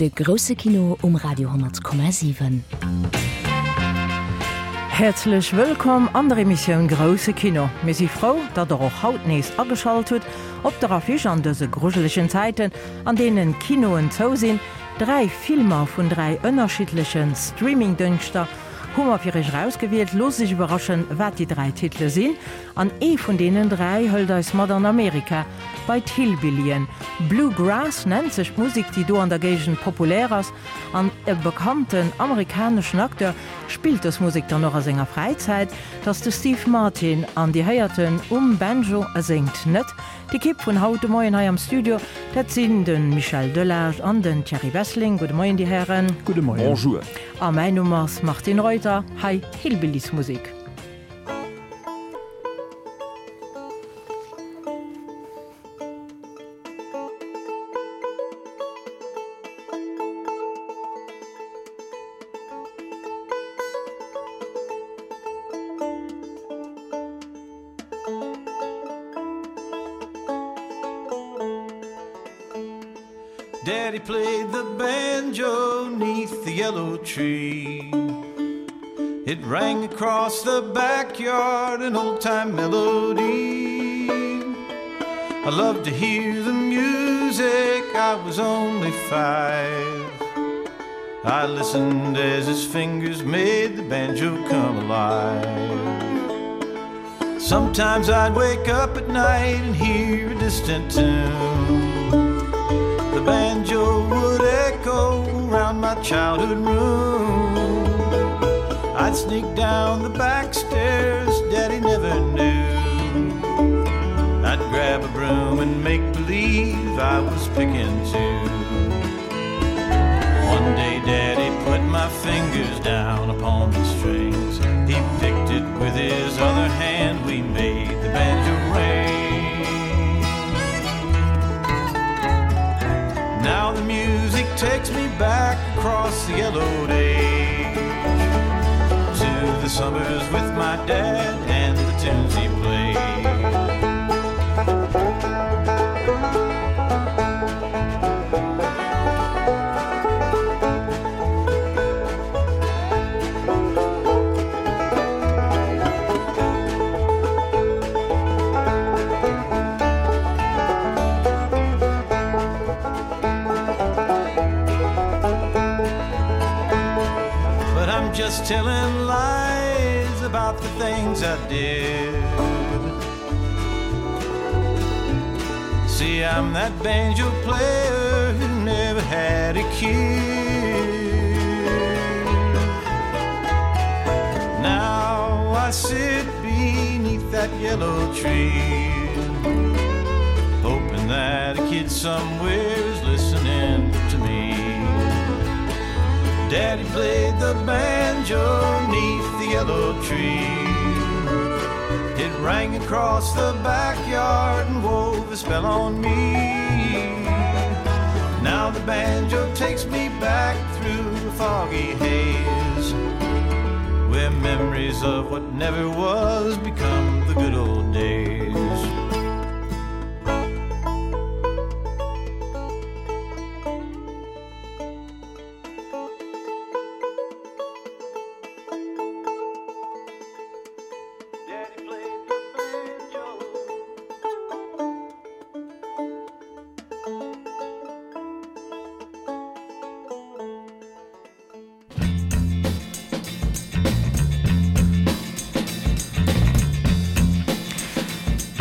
De grousse Kino um Radio 10,7. Häerzlech wëllkomm an der Emissioun Grousse Kino. Mir si frou, datt der och haut nees ageschalt hutt. Op der Affiche an dëse grujelegen Zäiten, an deenen d'Kinoen zou sinn, dräi Filmer vun dräi ënnerschiddleche Streamingdëngschter hu mer fir iech erausgewielt. Loosst iech iwwerraschen, wat déi dräi Titele sinn. An ee vun deenen 3 hëlt eis mat an Amerika, bei d'Hillbillyen. Blue Grass nennt sech d'Musek, déi do an der Géigend populär ass. An e bekannten amerikaneschen Acteur spillt dës Musek dann och a senger Fräizäit. 't ass de Steve Martin an Dir héiert en um Banjo, e séngt net. D'Ekipp vun haut de Moien hei am Studio, dat sinn de Michel Delage an den Thierry Wesseling. Gudde Moien, Dir Hären. Gudde Moien. Bonjour. A mäin Numm ass Martine Reuter. Hei Hillbillies-Musek. Daddy played the banjo neath the yellow tree. It rang across the backyard an old-time melody. I loved to hear the music, I was only five. I listened as his fingers made the banjo come alive. Sometimes I'd wake up at night and hear a distant tune. The banjo would echo around my childhood room. I'd sneak down the back stairs, Daddy never knew. I'd grab a broom and make believe I was picking too. One day Daddy put my fingers down upon the strings. He picked it with his other hand, we made the banjo ring. Now the music takes me back across the yellow days to the summers with my dad and the tunes he played. But I'm just telling lies about the things I did. See, I'm that banjo player who never had a kid. Now I sit beneath that yellow tree, hoping that a kid somewhere is listening to me. Daddy played the banjo neath the yellow tree. It rang across the backyard and wove a spell on me. Now the banjo takes me back through the foggy haze, where memories of what never was become the good old days.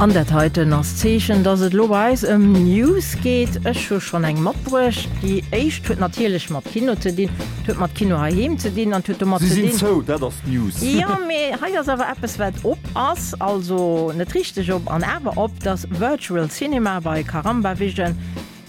An dat heiten ass d'Zeechen, dass et elo bei eis ëm News geet. Ech hu schonn eng matbruecht. Déi éischt huet natierlech mat Kino ze dinn, huet mat Kino heiheem ze dinn an huet domat Si ze sinn dinn. zou, dat ass d'News. Jo, mee hei ass awer eppes, wat op ass, also net richteg op an awer op, dass Virtual Cinema bei Caramba Vision.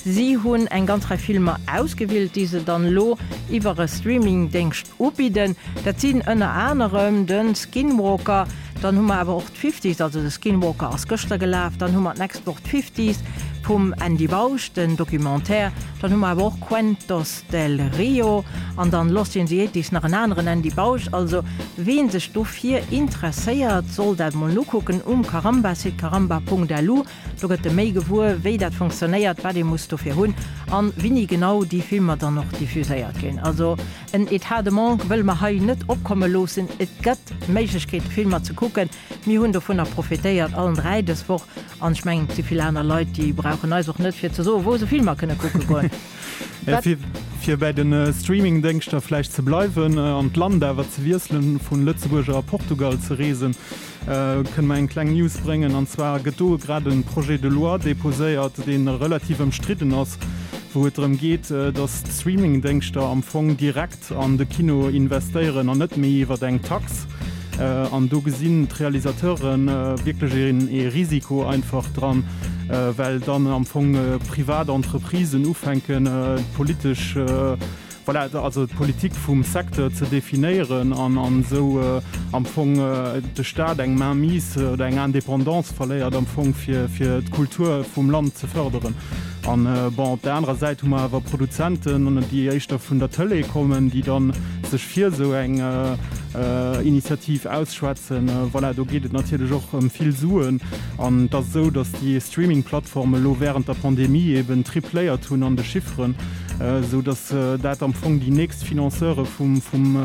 Si hunn eng ganz Rei Filmer ausgewielt, déi se dann elo iwwer e Streamingdéngscht ubidden. Dat sinn ënner anerem de Skinwalker. Dann hu mer awer och d'Fifties, also de Skinwalker ass gëschter gelaf. Dann hu mer d'nächst Woch d'Fifties vum Andy Bausch, den Documentaire. Dann hu mer awer och Cuentos del Rio an dann Lost in the Eighties, nach en aneren Andy Bausch. Also ween sech dofir interesséiert, soll dat mol nokucken um Caramba-Site, caramba.lu. Do gëtt e méi gewuer, wéi dat funktionéiert, wat ee muss dofir hunn an wini genau déi Filmer dann och diffuséiert ginn. Also en Etat de manque wëlle mer hei net opkomme loossen. Et gëtt Méiglechkeete Filmer ze kucken. Mir hunn dovunner profitéiert, allen 3 dës Woch. An ech mengen, et si vill aner Leit, déi brauchen eis och net fir ze soen, wou se Filmer kënne kucke goen. Wat? Fir bäi de Streamingdéngschter vläicht ze bleiwen an d'Land awer ze wiesselen, vun Lëtzebuerg a Portugal ze reesen, Kënne mer eng kleng News bréngen? An zwar gëtt do grad e Projet de loi déposéiert, dee relativ ëmstridden ass, wou et drëm geet, datt d'Streamingdéngschter am Fong direkt an de Kino investéieren an net méi iwwer eng Tax. An do gesinn d'Realisateure wierklech ee Risiko einfach dran, well dann am Fong privat Entreprisen ufänken, d'politesch, Voilà, also d'Politik vum Secteur ze definéieren an esou am Fong de Staat eng Mainmise oder eng Indépendance verléiert am Fong fir d'Kultur vum Land ze förderen. An bon, op der anerer Säit hu mer awer Produzenten, déi éischter vun der Tëlee kommen, déi da sech fir esou eng Initiativ ausschwätzen. Voilà, do geet et natierlech och ëm vill Suen. An et ass esou, datt déi Streaming-Plattforme elo wärend der Pandemie eben tripléiert hunn an de Chifferen. Esou datt dat am Fong déi nächst Financeure vum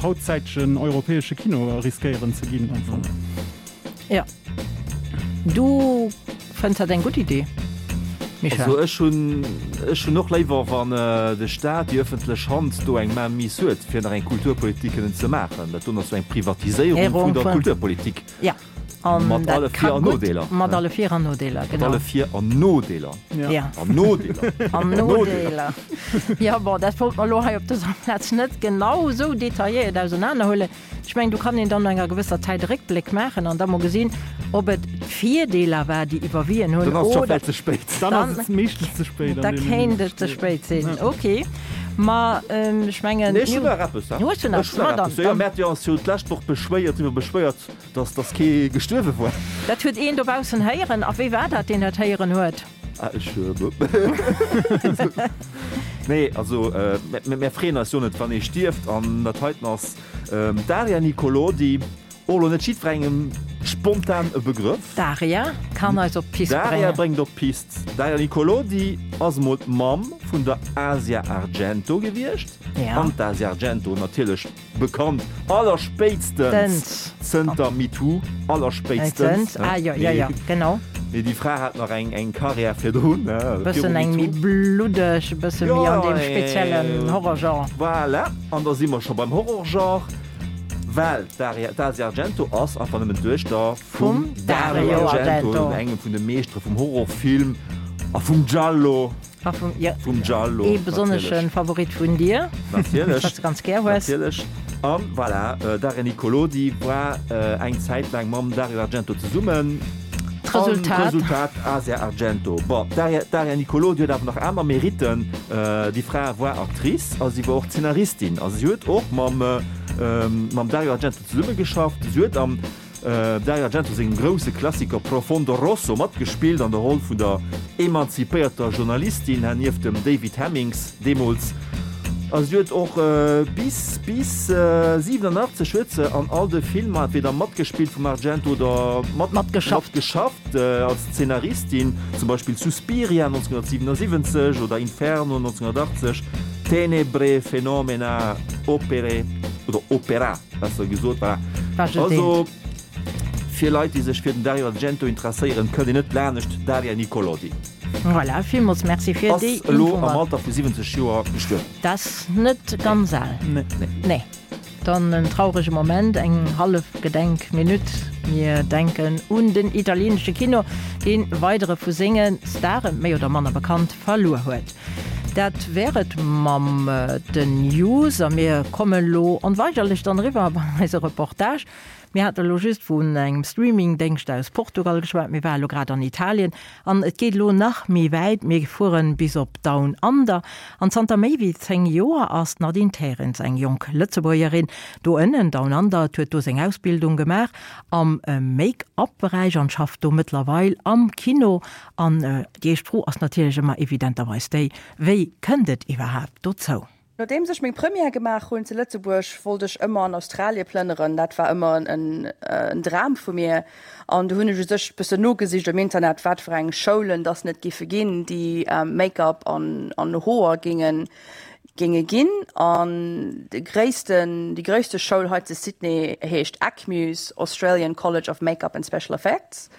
hautzäitegen europäesche Kino riskéieren ze ginn am Fong. Jo. Du fënns dat eng gutt Idee, Michel? Also ech hunn, ech hunn och léiwer, wann de Staat, déi ëffentlech Hand do eng Mainmise huet, fir nach eng Kulturpolitik kënnen ze maachen. Dat doen ass jo eng Privatiséierung vun der Kulturpolitik. Jo. Mat alle Vir an Nodeeler. Mat alle Vir an Nodeeler, genau. Mat alle Vir an Nodeeler. Ja. An Nodeeler. An Nodeeler. Ja, bon, dat wollt mer elo hei op dëser Plaz net genau esou detailléiert ausenanerhuelen. Ech mengen, do kann een dann no enger gewësser Zäit e Réckbléck maachen an da mol gesinn, ob et d'Virdeeler war, déi iwwerwien hunn, Dann ass et scho vläicht ze spéit. Dann ass et meeschtens ze spéit. Da kéint et ze spéit sinn. Okay. Ma ech mengen. Nee, ech hunn nach eppes. Hues du nach eppes? Ma dann. Jo, mir hate jo eis jo d'lescht Woch beschwéiert, driwwer beschwéiert, Dass dass kee gestuerwe war. Dat huet een dobaussen héieren. A wéi war dat, deen dat héieren huet? Ah, ech. Nee, also mär freeën eis jo net, wann ee stierft. An dat heiten ass d'Daria Nicolodi, och elo net jiddwerengem spontan e Begrëff. D'Daria kann eis op d'Pist bréngen. D'Daria bréngt op d'Pist. D'Daria Nicolodi ass emol d'Mamm vun der Asia Argento gewiescht. An d'Asia Argento natierlech Bekannt allerspéitstens zënter MeToo, allerspéitstens. Ah jo, jo, jo, genau. Mee déi Fra hat nach eng eng Karriär virdrun, viru MeToo. Bëssen eng méi bluddeg, e bësse méi an deem speziellen Horrorgenre. Voilà, an da si mer scho beim Horrorgenre, well d'Aria, d'Asia Argento ass einfach nëmmen d'Duechter vum Dario Argento, engem vun de Meeschtere vum Horrorfilm a vum Giallo. A vum, ja, vum Giallo. Ee besonnesche Favorit vun dir. Natierlech. Wat s de ganz gär hues. Natierlech. An voilà, Daria Nicolodi war eng Zäit laang mam Dario Argento zesummen. D'Resultat. An d'Resultat, Asia Argento. Bon, d'Daria, d'Daria Nicolodi huet awer nach aner Meritten. Déi Fra war Actrice a si war och Zeenaristin. A si huet och mam, mam Dario Argento zesummegeschafft. Si huet am. Dario Argento sengem grousse Klassiker Profondo Rosso matgespillt an der Roll vun der emanzipéierter Journalistin nieft dem David Hemmings deemools. A si huet och bis bis 87 huet se an all de Filmer entweder matgespillt vum Argento oder matgeschafft als Zeenaristin, zum Beispill Suspiria 1977 oder Inferno 1980, Tenebre, Phenomena, Opere oder Opera. Besser gesot, voilà. Also, fir Leit, déi sech fir den Dario Argento interesséieren, kënnt een net lanescht Daria Nicolodi. Voilà, villmools Merci fir déi Ass elo am Alter vu 70 Joer gestuerwen. Dat ass net ganz al. Nee. Dann en traurege Moment, eng hallef Gedenkminutt. Mir denken un den italienesche Kino, dee weidere vu senge Staren, méi oder manner bekannt, verluer huet. Dat wär et mam den News a mir kommen elo onweigerlech dann eriwwer bei eise Reportage. Mir hate elo just vun engem Streamingdéngscht aus Portugal geschwat, mir ware elo grad an Italien an et geet elo nach méi wäit, mir fueren bis op Down Under. An zanter méi wéi 10 Joer ass d'Nadine Terens, eng jonk Lëtzebuergerin, do ënnen, Down Under, huet do seng Ausbildung gemaach am Make-up-Beräich an schafft do mëttlerweil am Kino. An déi éischt Fro ass natierlech ëmmer evidenterweis déi, Wéi kënnt et iwwerhaapt dozou? Nodeems ech meng Première gemaach hunn zu Lëtzebuerg, wollt ech ëmmer an Australie plënneren. Dat war ëmmer en Dram vu mir. An du hunn ech u sech bëssen nogesicht um Internet, wat fir eng Schoulen dass net giffe ginn, déi Make-up an Hoer géinge géinge ginn. An de gréissten, déi gréisste Schoul hei zu Sydney heescht ACMUS, Australian College of Make-up and Special Effects.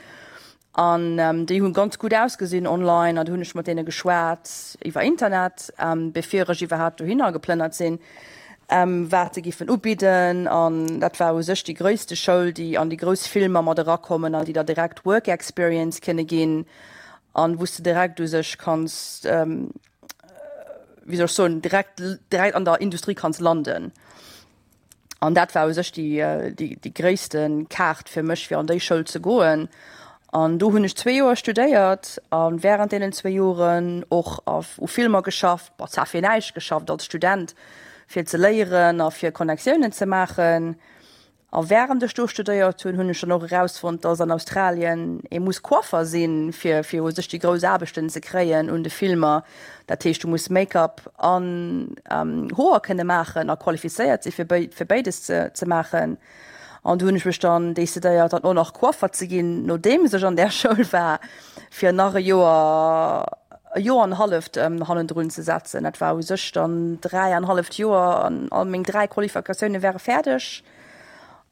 An déi hu ganz gutt ausgesinn online an du hunn ech mat deene geschwat iwwer Internet, bevir ech iwwerhaapt dohinner geplënnert sinn, wat se giffen ubidden. An dat war u sech déi gréisste Schoul, déi an déi grouss Filmer mat erakommen an déi der direkt Work Experience kënne ginn an wou s de direkt u sech kanns, wéi soll ech soen, direkt direkt an der Industrie kanns landen. An dat war u sech déi, déi, déi gréisste Kaart fir mech, fir an déi Schoul ze goen. An do hunn ech zwee Joer studéiert a wärend deenen zwee Joren och a u Filmer geschafft, bon zwar fir näischt geschafft als Student, fir ze léieren a fir Connectiounen ze maachen. A wärend ech do studéiert hunn, hunn ech dann och erausfonnt, dass an Australien ee muss Coiffer sinn, fir fir u sech déi grouss Aarbechten ze kréien un de Filmer. Dat heescht, du muss Make-up an Hoer kënne maachen a qualifizéiert si fir fir béides ze ze maachen. An du hunn ech mech dann decidéiert, dann och nach Coiffer ze ginn, nodeems ech an där Schoul war, fir nach e Joer, e Joer an e halleft hannendrun ze setzen. Dat war u sech dann 3 an halleft Joer an all meng 3 Qualifikatioune ware fäerdeg.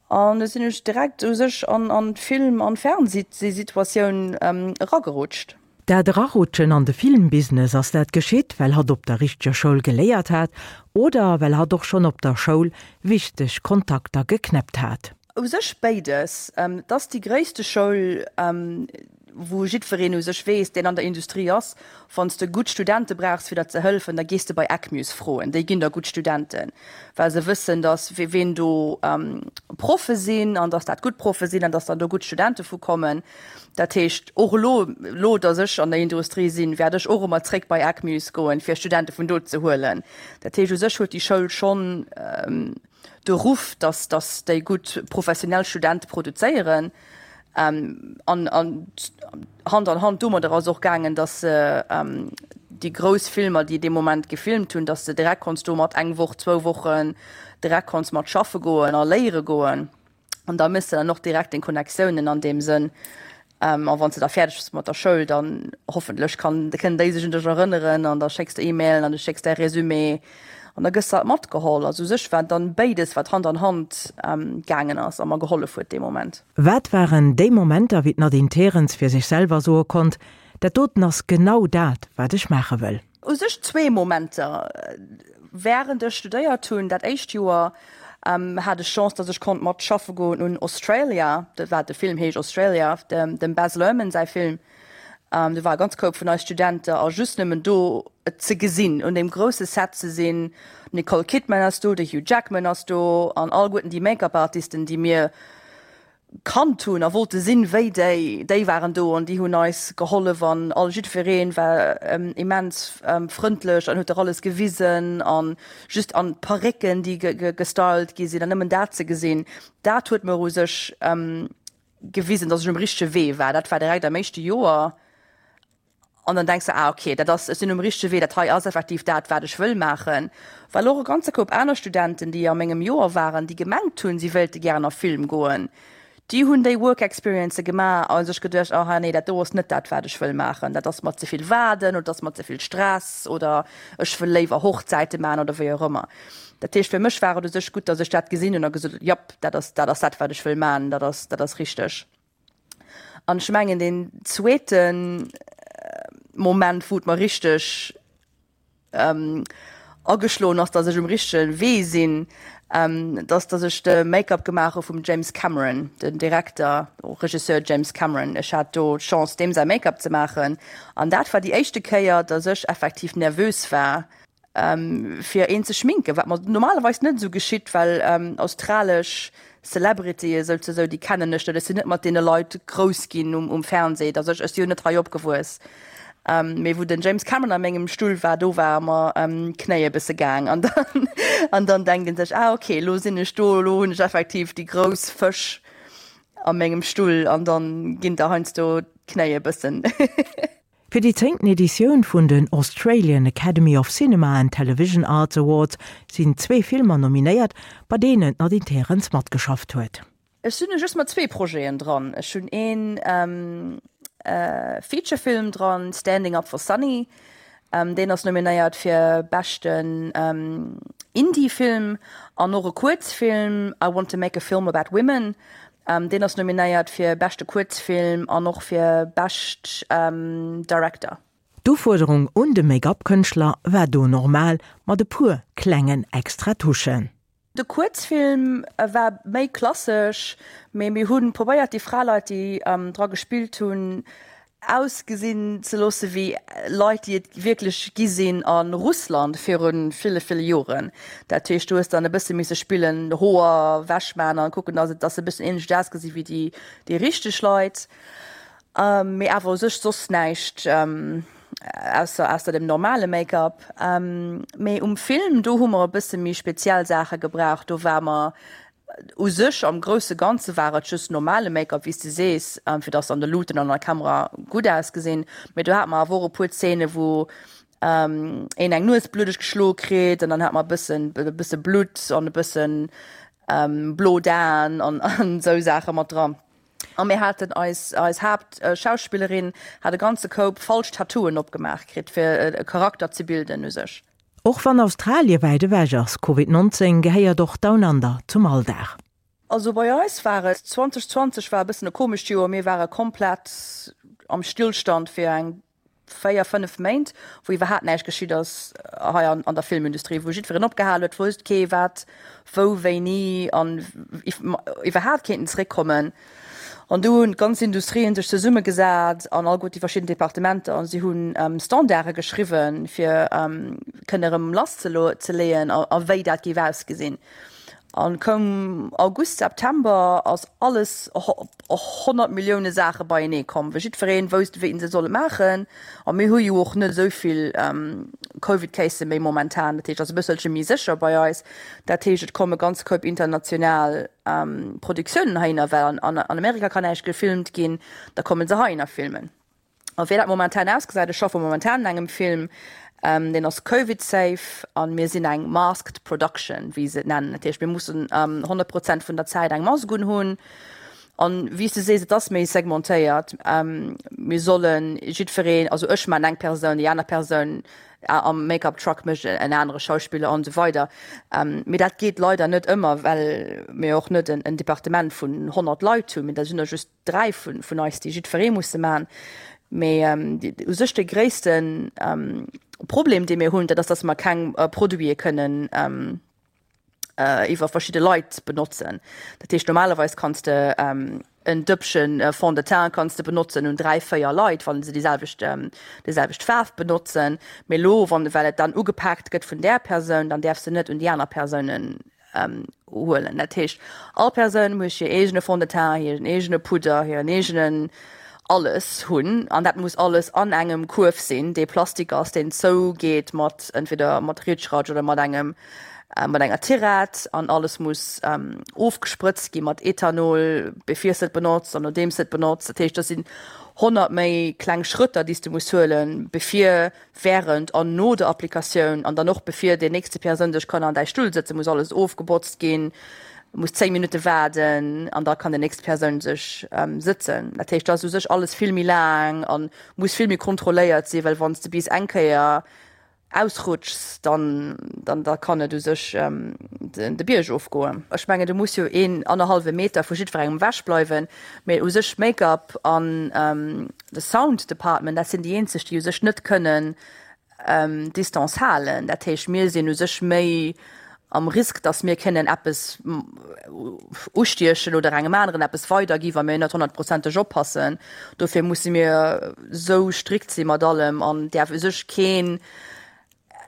An du sinn ech direkt u sech an an d'Film an Fernsehsituatioun eragerutscht. Dat Erarutschen an de Filmbusiness, ass dat geschitt, well hatt op der richteger Schoul geléiert hat oder well hatt och schonn op der Schoul wichteg Kontakter geknäppt hat? U sech béides. Et ass déi gréisste Schoul, wou jiddwereen u sech weess, deen an der Industrie ass, wann s de gutt Studente brauchs fir der ze hëllefen, da gees de bei ACMUS froen, déi ginn der gutt Studenten, well se wëssen, datt ween do Proffe sinn an datt dat gutt Proffe sinn an datt dann do gutt Studente vu kommen. Dat heescht, och elo, elo datt ech an der Industrie sinn, wäert ech och ëmmer zréck bei ACMUS goen, fir Studente vun do ze huelen. Dat heescht, u sech huet déi Schoul schonn de Ruff, datt datt déi gutt professionell Studente produzéieren. An an Hand an Hand domadder ass och gaangen, datt se déi grouss Filmer, déi dee Moment gefilmt hunn, datt se direkt konns do mat eng Woch, zwou Wochen direkt konns mat schaffe goen a léiere goen. An da méchs de dann och direkt deng Connectiounen an deem Sënn. A wann s de da fäerdeg bass mat der Schoul, dann hoffentlech kann, kënnen déi sech un dech erënneren an da schécks de E-Mailen an du schécks däi Résumé an da gëss de halt matgeholl. Also u sech war et dann béides, wat Hand an Hand gaangen ass a mer gehollef huet dee Moment. Wat waren déi Momenter, wéi d'Nadine Terens fir sech selwer soe konnt, Dat doten ass genau dat, wat ech maache wëll? U sech zwee Momenter. Wärend ech studéiert hunn, dat éischt Joer, hat ech Chance, datt ech konnt mat schaffe goen un Australia, dat war de Film heescht Australia, dem Baz Luhrmann säi Film. Do war e ganz Koup vun eis Studente a just nëmmen do et ze gesinn, un deem grousse Set ze sinn, d'Nicole Kidman ass do, de Hugh Jackman ass do an alleguerten déi Make-up-Artisten, déi mir kannt hunn a wollte sinn wéi déi, déi waren do an déi hunn eis gehollef an all jiddwereen war immens frëndlech an huet der alles gewisen an just an d'Parécken déi gestylt gi sinn an nëmmen dat ze gesinn, dat huet mer u sech gewisen, datt ech um richtege Wee war. Dat war direkt am éischte Joer. An dann denks de, ah okay, dat ass, ech sinn um richtege Wee, dat hei ass effektiv dat, wat ech wëll maachen. Well och e ganze Koup aner Studenten, déi a mengem Joer waren, déi gemengt hunn, si wéilte gären a Film goen, déi hunn déi Work Experiencë gemaach a sech geduecht, aha nee, dat do ass net dat, wat ech wëll maachen, dat ass mer ze vill Waarden oder dat ass mer ze vill Stress oder ech wëll léiwer Hochzäite maachen oder wéi och ëmmer. Dat heescht, fir mech war et u sech gutt, datt ech dat gesinn hunn a gesot hunn, japp, dat ass, dat ass dat, wat ech wëll maachen, dat ass, dat ass richteg. An ech mengen deen zweete Moment, wou et mer richteg ageschloen ass, datt ech um richtege Wee sinn, dat ass, datt ech de Make-up gemaach hu vum James Cameron, den Direkter, Regisseur James Cameron. Ech hat do d'Chance, deem säi Make-up ze maachen. An dat war déi éischte Kéier, datt ech effektiv nervös war. Fir een ze schminken, wat mer normalerweis net esou geschitt, well australesch Celebrityë souzesoe, déi kennen ech net, ech sinn net mat deene Leit grouss ginn um Fernseh, also ech si jo net hei opgewuess. Mee wou den James Cameron a mengem Stull war, do ware mer d'Knéi e bësse gaang an dann an dann denkt een sech, ah okay, elo sinn ech do, elo hunn ech effektiv déi grouss Fësch a mengem Stull an dann ginn der heiansdo d'Knéi e bëssen. Fir déi zéngten Editioun vun den Australian Academy of Cinema and Television Arts Awards sinn zwee Filmer nominéiert, bei deenen d'Nadine Terens matgeschafft huet. Ech sinn just mat zwee Projeten dran. Ech hunn een Featurefilm dran, Standing Up for Sunny, deen ass nominéiert fir beschten Indie-Film, an och e Kuerzfilm, I Want to Make a Film About Women, Deen ass nominéiert fir beschte Kuerzfilm an och fir bescht Director. D'Ufuerderung un de Make-up-Kënschtler war do normal, mat e puer klengen extra Touchen. De Kuerzfilm war méi klassesch, mee mir hu probéiert déi Fraleit, déi dra gespillt hunn, ausgesinn ze loosse wéi Leit, déi et wierklech gi sinn a Russland viru ville, ville Joren. Dat heescht, du hues dann e bësse misse spillen, Hoer wechman an kucken, dass et, dass se e bëssen ähnlech ausgesi wéi déi, déi richteg Leit. Mee awer u sech soss näischt ausser, ausser dem normale Make-up. Mee um Film, do hu mer e bësse méi speziell Saache gebraucht. Do war mer U sech am grousse Ganze war et just normale Make-up, wéi s de sees, fir dass se an de Luuten an der Kamera gutt ausgesinn. Mee do hate mer awer och e puer Zeene wou een eng Nues bluddeg geschloe kritt an dann hat mer e bëssen e bësse Blutt an e bëssen blo d'Aen an esou Saache mat dran. A mir haten eis eis Haaptschauspillerin hat e ganze Koup falsch Tattooen opgemaach kritt, fir e Charakter ze bilden u sech. Och wann Australie wäit ewech ass, Covid 19 gehéiert och Down Under zum Alldag. Also bei eis war et, 2020 war e bëssen e komescht Joer, mir ware komplett am Stillstand fir eng 4, 5 Méint, wou iwwerhaapt näischt geschitt ass hei an der Filmindustrie, wou jiddwereen opgehal huet, wousst kee wat, wou, wéini an iwwerhaapt kéinten zeréckkommen. An do hunn d'ganz Industrien sech zesummegesat an alleguer déi verschidden Departementer an si hunn Standarde geschriwwen, fir kënne erëm lasszeleeën a wéi dat géif ausgesinn. An koum August, September ass alles 100 Millioune Saache beienee komm, well jiddweree wousst, wéi en se solle maachen. A mir hu jo och net esou vill Covid-Casen méi momentan, dat heescht, ass e bësselche méi sécher bei eis. Dat heescht, et komme ganz Koup international Produktiounen heihinner, well an Amerika kann näischt gefilmt ginn, da komme se heihinner filmen. A wéi dat momentan ausgesäit, ech schaffe momentan un engem Film, deen ass Covid-safe a mir sinn eng masked production, wéi se et nennen. Dat heescht, mir mussen 100 Prozent vun der Zäit eng Mask unhunn. An wéi s de sees, et ass méi segmentéiert. Mir solle jiddwereen, also ech maachen eng Persoun, déi aner Persoun am Make-up Truck mécht en anere Schauspiller an esou weider. Mee dat geet leider net ëmmer, well mir och net en Departement vun 100 Leit hunn, mee dat sinn der just 3 vun eis, déi jiddweree musse maachen. Mee u sech de gréisste Problem, dee mir hunn, dat ass, datt mer keng Produite kënnen iwwer verschidde Leit benotzen. Dat heescht, normalerweis kanns de en Dëppchen Fond de teint kanns de benotzen un 3, 4 Leit, wann se déi selwecht, déi selwecht Faarf benotzen. Mee elo, wann, well et dann ugepaakt gëtt vun där Persoun, dann däerfs de net un déi aner Persounen huelen. Dat heescht, all Persoun muss hir eegene Fond de teint, hiren eegene Pudder, hiren eegenen alles hunn an dat muss alles an engem Kuerf sinn, dee Plastik ass, deen zougeet mat entweder mat Ritschratsch oder mat engem mat enger Tirett an alles muss ofgesprëtzt gi mat Ethanol, bevir s de et benotzt an nodeems de et benotzt. Dat heescht, dat sinn 100 méi kleng Schrëtter, déi s de muss huelen, bevir Während an no der Applikatioun an dann och bevir déi nächste Persoun sech kann an däi Stull sëtzen, muss alles ofgebotzt ginn, muss 10 Minutte waarden an da kann déi nächst Persoun sech sëtzen. Dat heescht, dat ass u sech alles vill méi laang a muss vill méi kontrolléiert sinn, well wann s de bis eng Kéier ausrutschs, dann dann da kann et u sech de Bierg ofgoen. Ech mengen, du muss jo een annerhallwe Meter vu jiddwerengem ewech bleiwen, mee u sech Make-up an De Sound Department, dat sinn déi eenzeg, déi u sech net kënnen Distance halen. Dat heescht, mir sinn u sech méi am Risk, datt mir kënnen eppes ustiechen oder engem aneren eppes weidergi wa mir net honnertprozenteg oppassen. Dofir musse mir esou strikt si mat allem an däerf u sech keen.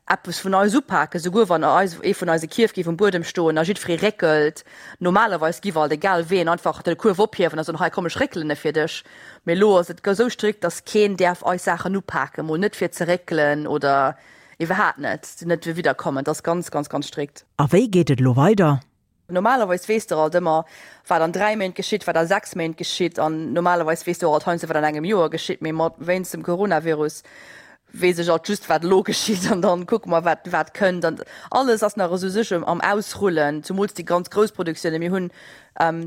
Eppes vun eis upaken, souguer wann eis ee vun eise Kierf géif um Buedem stoen a jiddweree réckelt. Normalerweis giff alt, egal ween, einfach de Kuerf ophiewen a soen, hei komm ech réckelen e fir dech. Mee elo ass et esou strikt, datt keen däerf eis Saachen upaken, mol net fir ze réckelen oder iwwerhaapt net, net widderkommen. Et ass ganz, ganz, ganz strikt. A wéi geet et elo weider? Normalerweis weess de alt ëmmer, wat an 3 Méint geschitt, wat a 6 Méint geschitt an normalerweis weess de och alt heiansdo, wat an engem Joer geschitt. Mee mat wéinst dem Coronavirus weess ech alt just, wat elo geschitt an dann kucke mer, wat wat kënnt. An alles ass nach esou sech am Ausrullen, zumools déi ganz grouss Produktiounen. Mir hunn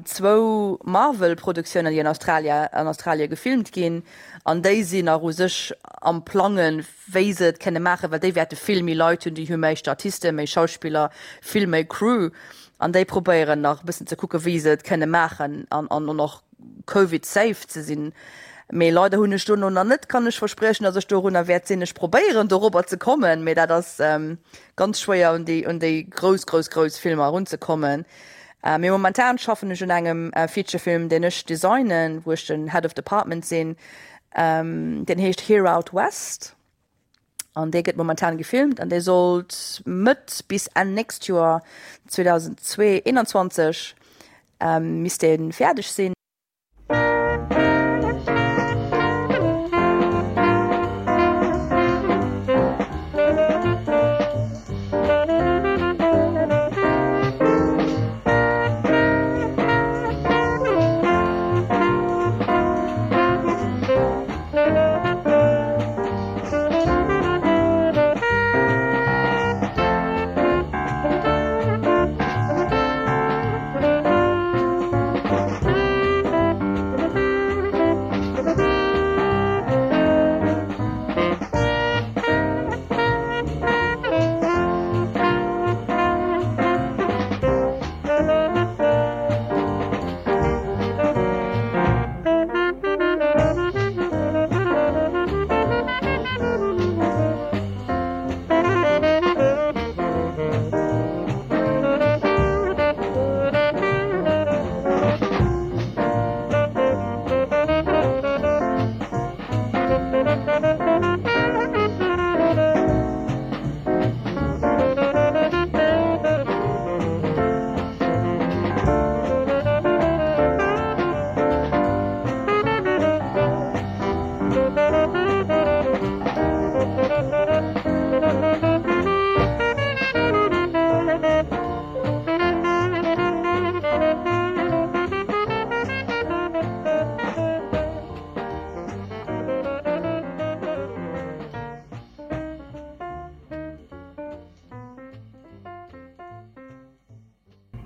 zwou Marvel-Produktiounen, déi an Australia an Australie gefilmt ginn an déi sinn nach u sech am Plangen, wéi se et kënne maachen, well déi wäerte vill méi Leit hunn, déi hu méi Statisten, méi Schauspiller, vill méi Crew an déi probéieren nach e bëssen ze kucken, wéi se et kënne maachen an an och Covid safe ze sinn. Mee leider hunn ech dono nach net, kann ech verspriechen, datt ech dorunner wäert sinn. Ech probéieren dorobber ze kommen, mee dat ass ganz schwéier un déi un déi grouss grouss grouss Filmer erunzekommen. Mee momentan schaffen ech un engem Featurefilm, deen ech designen, wou ech den Head of Department sinn. Deen heescht Here Out West an dee gëtt momentan gefilmt an dee sollt Mëtt bis Enn nächst Joer 2021 misst dee fäerdeg sinn.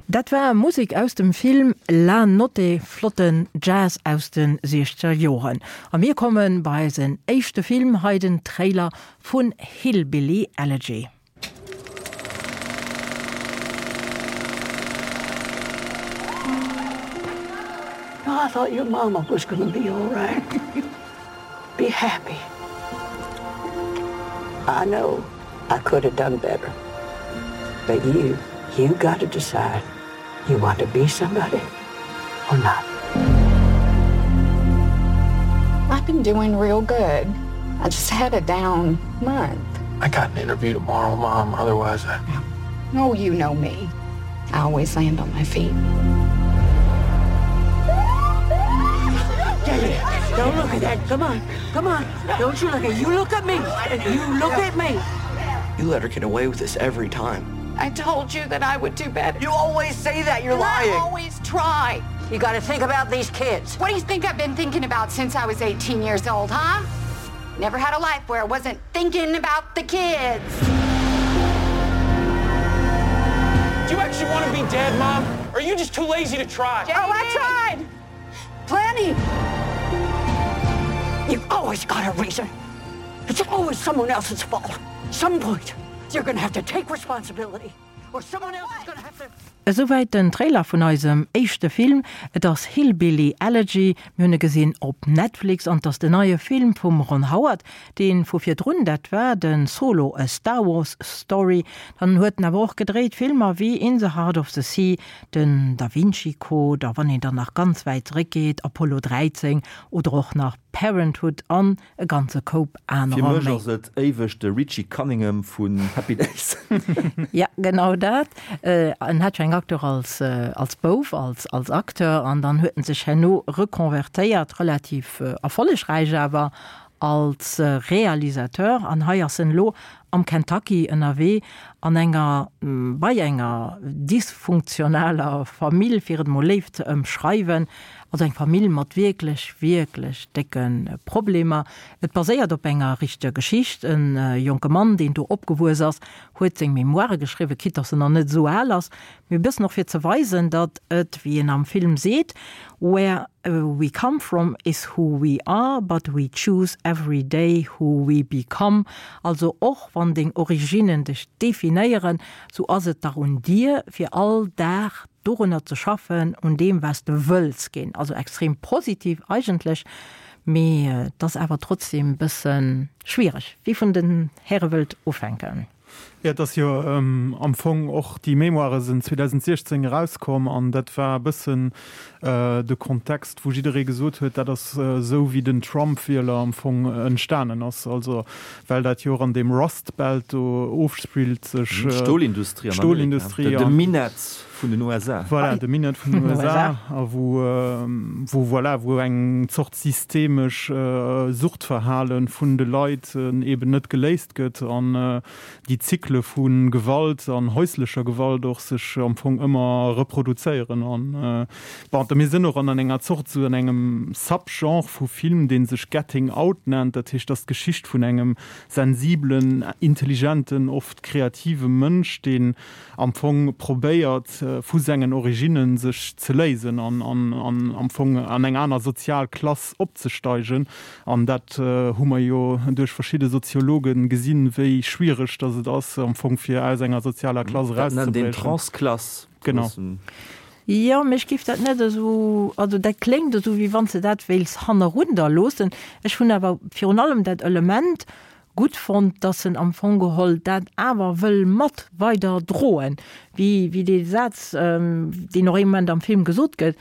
Dat war Musek aus dem Film La Notte, flotten Jazz aus de siechzeger Joren. A mir komme bei eisen éischte Film, hei den Trailer vun Hillbilly Elegy. I thought your mama was gonna be all right. Be happy. I know I could have done better. But you, you got to decide you want to be somebody or not. I've been doing real good. I just had a down month. I got an interview tomorrow, Mom. Otherwise, I... Oh, you know me. I always land on my feet. Don't look at that. Come on. Come on. Don't you look at you look at me. You look at me. You let her get away with this every time. I told you that I would do better. You always say that. You're and lying. I always try. You got to think about these kids. What do you think I've been thinking about since I was 18 years old, huh? Never had a life where I wasn't thinking about the kids. Do you actually want to be dead, Mom? Or are you just too lazy to try? Jamie. Oh, I tried. Plenty. You've always got a reason. It's always someone else's fault. Some point, you're gonna have to take responsibility, or someone else is gonna have to. Esouwäit den Trailer vun eisem éischte Film. Et ass Hillbilly Elegy. Mir hunn e gesinn op Netflix an et ass den neie Film vum Ron Howard, dee vu virdrun, dat war de Solo, A Star Wars Story. Dann huet en awer och gedréit Filmer wéi In the Heart of the Sea, den Da Vinci Code a wann een dann nach ganz wäit zeréckgeet, Apollo 13 oder och nach Parenthood an E ganze Koup anerer méi. Fir mech ass et éiweg de Richie Cunningham vun Happy Days. Ja, genau dat. En hat jo eng Acteur als, als Bouf, als, als Acteur an dann huet en sech herno rekonvertéiert, relativ erfollegräich awer, als Realisateur. An hei ass en elo am Kentucky ënnerwee an enger, bei enger dysfunktionaler Famill, fir et mol léif ze ëmschreiwen, also eng Famill mat wierklech, wierklech décke Problemer. Et baséiert op enger richteger Geschicht. E jonke Mann, deen do opgewuess ass, huet seng Memoire geschriwwen, quitte dass en nach net esou al ass, mee e bëssen och fir ze weisen, datt et, wéi en am Film seet, Where we come from is who we are, but we choose every day who we become. Also och wann deng Originnen dech definéieren, sou ass et dach un dir, fir all Dag dorunner ze schaffen, un deem wat s de wëlls ginn. Also extrem positiv eigentlech, mee et ass awer trotzdem e bësse schwiereg. Wie vun den Häre wëllt ufänken? Jo, et ass jo am Fong och, déi Mémoiren sinn 2016 erauskomm an dat war e bëssen de Kontext, wou jidderee gesot huet, dat ass esou wéi den Trump-Wieler am Fong entstanen ass. Also well dat jo och an deem Rust Belt do ofspillt sech. D'Stolindustrie an Amerika, de Minett vun den USA. Voilà, de Minett vun den USA a wou, wou voilà, wou eng Zort systemesch Suchtverhale vun de Leit eben net geléist gëtt an déi Zykle vu Gewalt an häuslecher Gewalt och sech am Fong ëmmer reproduzéieren. An bon, mir sinn och an enger Zort esou an engem Subgenre vu Film, dee sech Getting Out nennt, dat heescht, dat ass d'Geschicht vun engem sensibelen, intelligenten, oft kreative Mënsch, deen am Fong probéiert vu sengen Originnen sech ze léisen an am Fong an eng aner sozial Klass opzesteigen. An dat hu mer jo duerch verschidde Soziologe gesinn, wéi schwiereg datt et ass am Fong fir aus enger sozialer Klass erauszebriechen. Dat nennt een Transklass. Genau. Jo, mee ech géif dat net esou, also dat kléngt esou, wéi wann s de dat wéils hannerunder loossen. Ech hunn awer virun allem dat Element gutt fonnt, dass en am Fong geholl dat awer wëll mat weider droen, wéi wéi dee Saz, deen och ee Moment am Film gesot gëtt,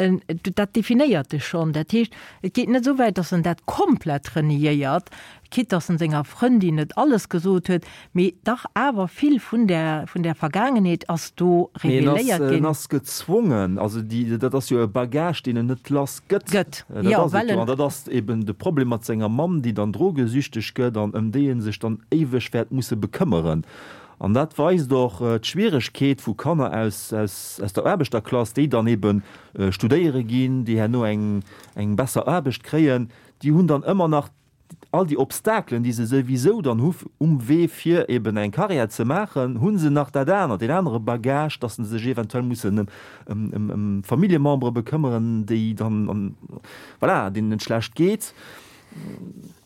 en dat definéiert dech schonn. Dat heescht, et geet net esou wäit, dass en dat komplett reniéiert, quitte dass en senger Frëndin net alles gesot huet, mee dach awer vill vun där vun där Vergaangenheet ass do Mee en ass, reveléiert en ginn. ass gezwongen, also déi, dat ass jo e Bagage, deen en net lass gëtt. Gëtt, Dat jo, ass et well jo. en. An dat ass eben de Problem mat senger Mamm, déi dann drogesüchteg gëtt an ëm déi e sech dann éiweg wäert musse bekëmmeren. An dat weist och d'Schwieregkeet vu Kanner aus, aus, aus der Aarbechterklass, déi dann ebe studéiere ginn, déi herno eng, eng besser Aarbecht kréien, déi hunn dann ëmmer nach all déi Obstakelen, déi se souwisou dann hu um Wee fir eben eng Carrière ze maachen, hu se nach dat anert, deen anere Bagage, dass se sech eventuell mussen ëm Familljemembere bekëmmeren, déi dann, voilà, deenen et schlecht geet,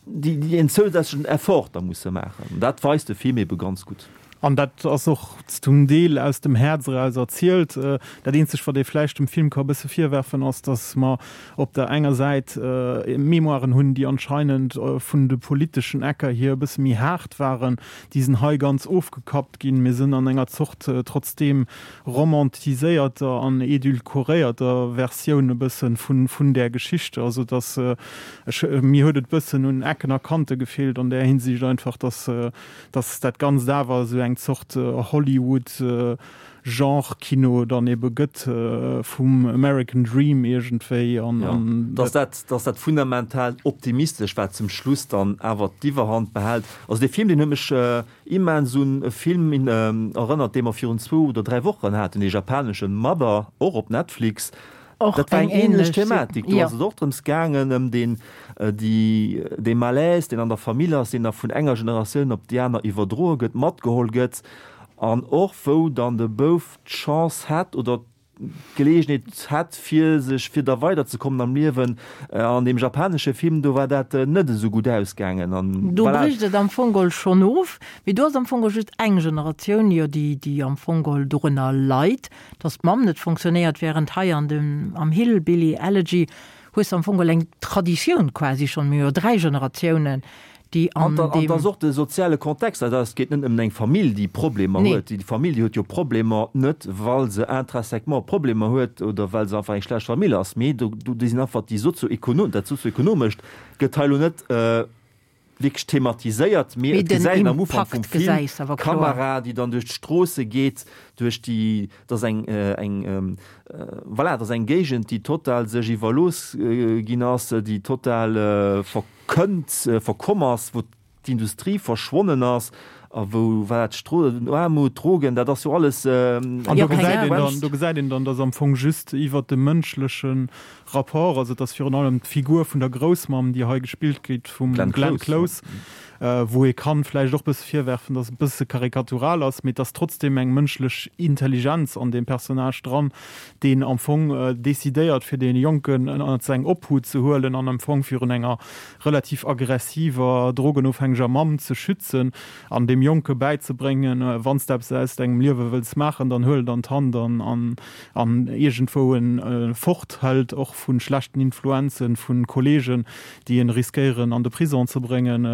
déi en zousätzlechen Effort da musse maachen. Dat weist de Film ebe ganz gutt. An dat ass och zum Deel aus dem Häerz eraus erzielt. Dat eenzegt, wat ee vläicht dem Film ka e bësse virwerfen, ass, datt mer op der enger Säit Memoiren hunn, déi anscheinend vun de politeschen Ecker hier e bësse méi haart waren. Déi sinn hei ganz ofgekappt ginn. Mir sinn an enger Zort trotzdeem romantiséierter an edulkoréierter Versioun e bësse vun där Geschichte. Also datt ech, mir huet et e bëssen un Ecken a Kante gefeelt an där Hinsicht einfach, datt dass dat Ganzt awer esou eng Zort Hollywood Genre-Kino dann ebe gëtt vum American Dream iergendwéi an Jo, dass dat, dass dat fundamental Optimistesch, wat zum Schluss dann awer d'Iwwerhand behält. Also dee Film, deen huet mech immens un e Film erënnert, dee mer virun zwou oder dräi Wochen haten, dee japaneschen Mother, och op Netflix. Och Dat war eng eng ähnlech ähnlech Thematik. Do jo. ass et och drëms gaangen, ëm deen, déi, dee Malaise, deen an der Famill ass, deen da vun enger Generatioun op déi aner iwwerdroe gëtt, matgeholl gëtt an och wou dann de Bouf d'Chance hat oder. Geleegenheet hätt fir sech fir da weiderzekommen am Liewen. An deem japanesche Film do war dat net esou gutt ausgaangen an Do voilà. brécht et am Fong geholl schonn of, mee do ass am Fong geholl just eng Generatioun jo déi déi am Fong geholl dorënner leit, datt d'Mamm net fonctionnéiert, während hei an dem am Hillbilly Elegy hues de am Fong geholl eng Traditioun quasi schonn, mir hu jo 3 Generatiounen, déi an deem. An et ass och de soziale Kontext. Also et geet net nëmmen eng Famill, déi Problemer huet. Déi Famill, déi huet jo Problemer net, well se intrinsèquement Problemer huet oder well se einfach eng schlecht Famill ass, mee do sinn einfach déi sozioekonom, dat Sozioekonomescht gëtt hei elo net wierklech thematiséiert, mee et gesäit een am Ufank vum Film d'Kamera, déi dann duerch d'Stroosse geet, duerch déi, dat ass eng, eng, voilà, dat ass eng Géigend, déi total sech iwwerlooss ginn ass, déi total ver. Kënnt, verkomm ass, wou d'Industrie verschwonnen ass a wou, voilà, d'Stro, Aarmut, Drogen, dat ass jo alles. An do gesäit een dann, do gesäit een dann, dass am Fong just iwwert de mënschleche Rapport, also et ass virun allem d'Figur vun der Groussmamm, déi hei gespillt gétt vum Glenn Close, wou ee kann vläicht och e bësse virwerfen, dass e bësse karikatural ass, mee et ass trotzdem eng mënschlech Intelligenz an deem Personnage dran, deen am Fong decidéiert fir dee Jonken ënnert seng Obhut ze huelen an am Fong virun enger relativ aggressiver, drogenofhängeger Mamm ze schützen an deem Jonke bäizebréngen, wann s de eppes aus dengem Liewe wëlls maachen, dann huel et an d'Hand an an iergendwou en fort hëlt, och vu schlechten Influenzen vu Kollegen, déi en riskéieren an de Prison ze bréngen,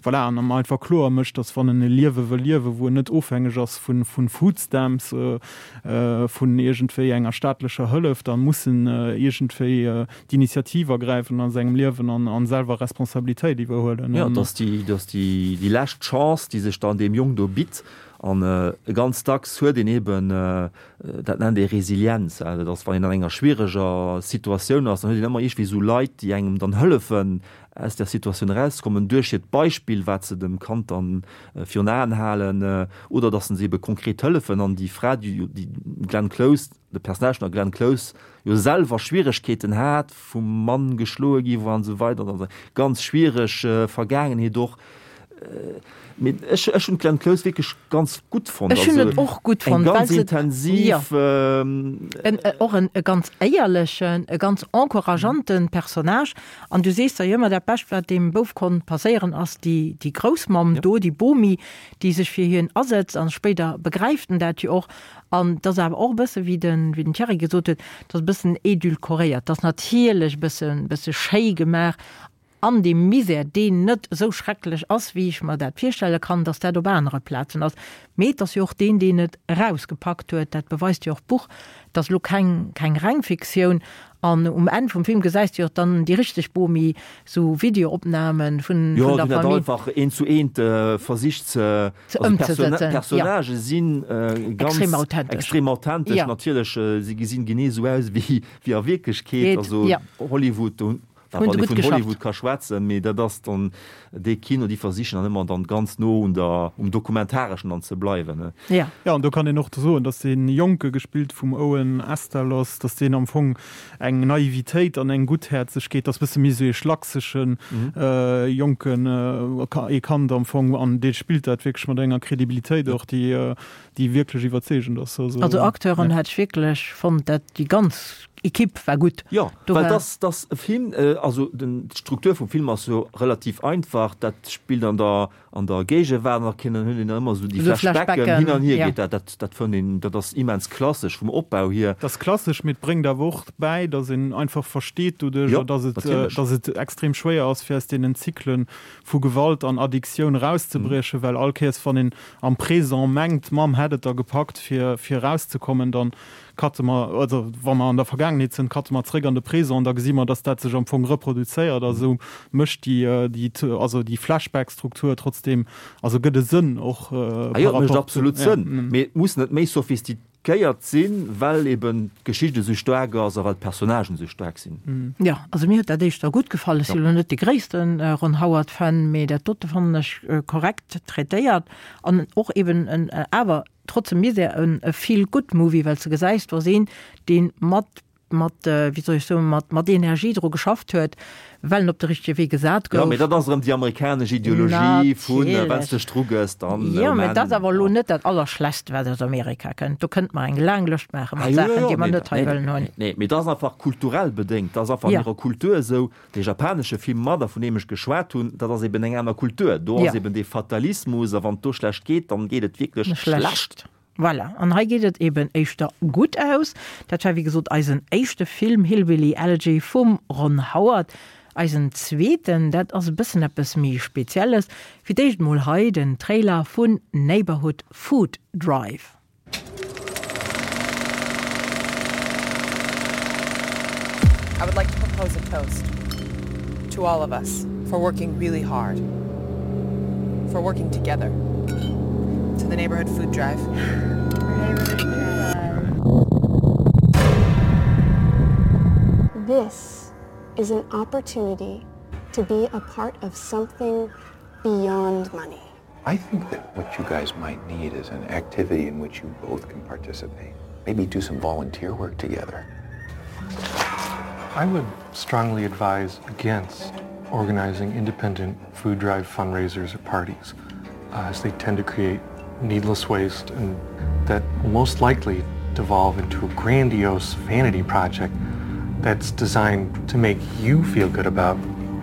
voilà, an em einfach kloer mécht, dass wann en e Liewe wëll liewen, wou en net ofhängeg ass vu Foodstamps, vun iergendwéi enger staatlecher Hëllef, da muss en iergendwéi d'Initiativ ergräifen a sengem Liewen an selwer Responsabilitéit iwwerhuelen. Jo, et ass déi, et ass déi, déi lescht Chance, déi sech dann deem Jong do bitt. An ganz dacks huet een eben, dat nennt ee Resilienz, dat ass, wann een an enger schwiereger Situatioun ass, dann huet een ëmmer iergendwéi esou Leit, déi engem dann hëllefen, aus där Situatioun erauszekommen, duerch hiert Beispill, wat se dem Kand dann virun Aen halen, oder datt se ebe konkret hëllefen. An déi Fra, déi d'Glenn Close, de Personnage vun der Glenn Close, jo selwer Schwieregkeeten hat, vum Mann geschloe gi war an esou weider, an ganz schwiereg Vergaangenheet och. Mee ech, ech hunn d'Glenn Close wierklech ganz gutt fonnt. Ech hunn et och gutt fonnt, well se. Eng ganz intensiv. En, och en e ganz éierlechen, e ganz encourageanten Personnage. An du sees der jo ëmmer, dat Bescht, wat deem Bouf konnt passéieren, ass déi, déi Groussmamm do, déi Bomi, déi sech fir hien asetzt. An spéider begräift en dat jo och. An et ass awer och e bësse wéi den, wéi den Thierry gesot huet, et ass e bëssen édulcoréiert. Et ass natierlech e bëssen, bësse schéi gemaach an deem Misär, deen net esou schrecklech ass, wéi ech mer dat virstelle kann, dass dat op anere Plazen ass. Mee et ass jo och deen, deen et erausgepackt huet. Dat beweist jo och d'Buch. Et ass elo keng, keng reng Fiktioun. An um Enn vum Film gesäis de jo och dann déi richteg Bomi, sou Videoopnamen vun, vun der Famille. Jo, déi dat einfach eent zu eent versicht ze, ze ëmzesetzen. D'Personnagë si ganz extrem authentesch. Extrem authentesch, natierlech. Si gesinn genee esou aus wéi, wéi a Wierklechkeet. Also Hollywood, do Hunn se gutt geschafft. Hollywood ka schwätzen, mee dat ass dann dee Kino, déi versichen dann ëmmer dann ganz no un der, um Dokumentareschen dann ze bleiwen, ne? Ja. Jo, an do kann een och soen, datt dee Jonke, gespillt vum Owen Asztalos, datt deen am Fong eng Naivitéit an eng Gutthäerzegkeet, datt bësse méi esou ee schlaksege Jonken, ee Kand am Fong, an dee spillt dat wierklech mat enger Kredibilitéit och, déi, déi wierklech iwwerzeegend ass. Also Acteuren hat ech wierklech fonnt, dat déi ganz Equipe war gutt. Jo, well dass dass e Film, also den d'Struktur vum Film ass jo relativ einfach, dat spillt an der an der Géigewaart an da kënnen hunn een ëmmer esou déi Flashbacken, hin an hier geet dat, dat dat fënnt een, dat ass immens klassesch vum Opbau hier. Dat ass klassesch, mee et bréngt awer och bäi, dass een einfach versteet doduercher, dass et dass et extrem schwéier ass fir aus deenen Zyklen vu Gewalt an Addiktioun erauszebriechen, well all Kéiers wann een am Présent mengt, d'Mamm hätt et da gepackt fir fir erauszekommen, dann cutte mer, also wa mer an der Vergaangenheet sënn, cutte mer zréck an de Présent an da gesi mer, dass dat sech am Fong reproduzéiert a sou mécht déi déi also déi Flashback-Struktur trotzdem, also gëtt e Sënn och par rapport zu. Ah jo, et mécht absolut Sënn, mee et muss net méi sophistiquéiert sinn, well eben d'Geschicht esou staark ass a well d'Personnagen esou staark sinn. Jo, also mir huet dat éischter gutt gefall. Ech si lo net de gréisste Ron Howard-Fan, mee dat dote fannen ech korrekt traitéiert an och eben en awer trotz dem Misär en Feel-Good-Movie, well s de gesäis, do ass een, dee mat. mat, wéi soll ech soen, mat, mat Energie dru geschafft huet, well en op de richtege Wee gesat Jo, gouf. mee dat ass erëm déi amerikanesch Ideologie vun, wann s Natierlech. dech drugëss, dann, Jo, oh mee man. dat ass awer elo net dat Allerschlechst, wat aus Amerika kënnt. Do kënnte mer eng laang Lëscht maache Ah, mat jo, jo, Saachen, jo, déi mer nee, net hei nee, wëllen hunn. nee, mee dat ass einfach kulturell bedéngt. Dat ass einfach an Jo. hirer Kultur esou. Dee japanesche Film Mother, vun deem ech geschwat hunn, dat ass eben eng aner Kultur. Do ass Jo. eben dee Fatalismus, a wann et do schlecht geet, dann geet et wierklech Schlecht. schlecht. Voilà, an hei geet et eben éischter gutt aus. Dat war wéi gesot eisen éischte Film, Hillbilly Elegy vum Ron Howard. Eisen zweeten, dat ass e bëssen eppes méi Spezielles. Fir d'éischt mol hei den Trailer vun Neighborhood Food Drive. I would like to propose a toast to all of us for working really hard, for working together to the neighborhood food drive. This is an opportunity to be a part of something beyond money. I think that what you guys might need is an activity in which you both can participate. Maybe do some volunteer work together. I would strongly advise against organizing independent food drive fundraisers or parties, uh, as they tend to create needless waste and that will most likely devolve into a grandiose vanity project that's designed to make you feel good about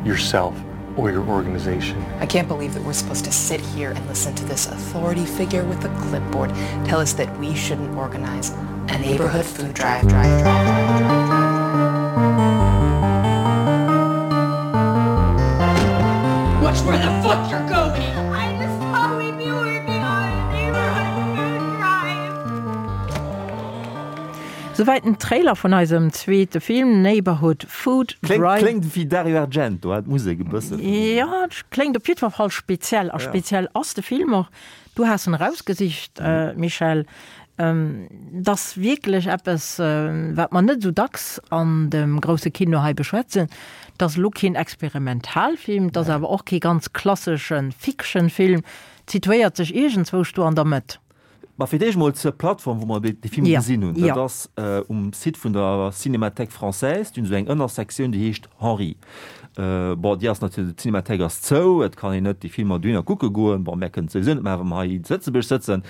yourself or your organization. I can't believe that we're supposed to sit here and listen to this authority figure with a clipboard tell us that we shouldn't organize a neighborhood food drive drive drive drive drive drive. Watch where the fuck you're going! I just thought we'd be working on a neighborhood food drive. Souwäit den Trailer vun eisem zweete Film Neighborhood Food Drive. Kléngt wéi Dario Argento, hat d'Musek e bëssen. Jo, kléngt op jiddwer Fall speziell. A speziell ass de Film och. Du has en erausgesicht, Michèle. Et ass wierklech eppes, wat mer net esou dacks an dem grousse Kino hei beschwätzen. Et ass elo keen Experimentalfilm, et ass awer och kee ganz klassesche Fiction-Film. Et situéiert sech iergendzwousch do an der Mëtt. Ma fir d'éischt mol zur Plattform, wou mer dee Film gesinn hunn. Dat ass um Site vun der Cinémathèque française. Déi hunn esou eng Ënnersektioun, déi heescht Henri. Bon, déi ass natierlech, d'Cinémathèque ass zou, et kann een net déi Filmer dohinner kucke goen. Bon, mär kënnen et souwisou net maachen, wa mer hei zu Lëtzebuerg sëtzen.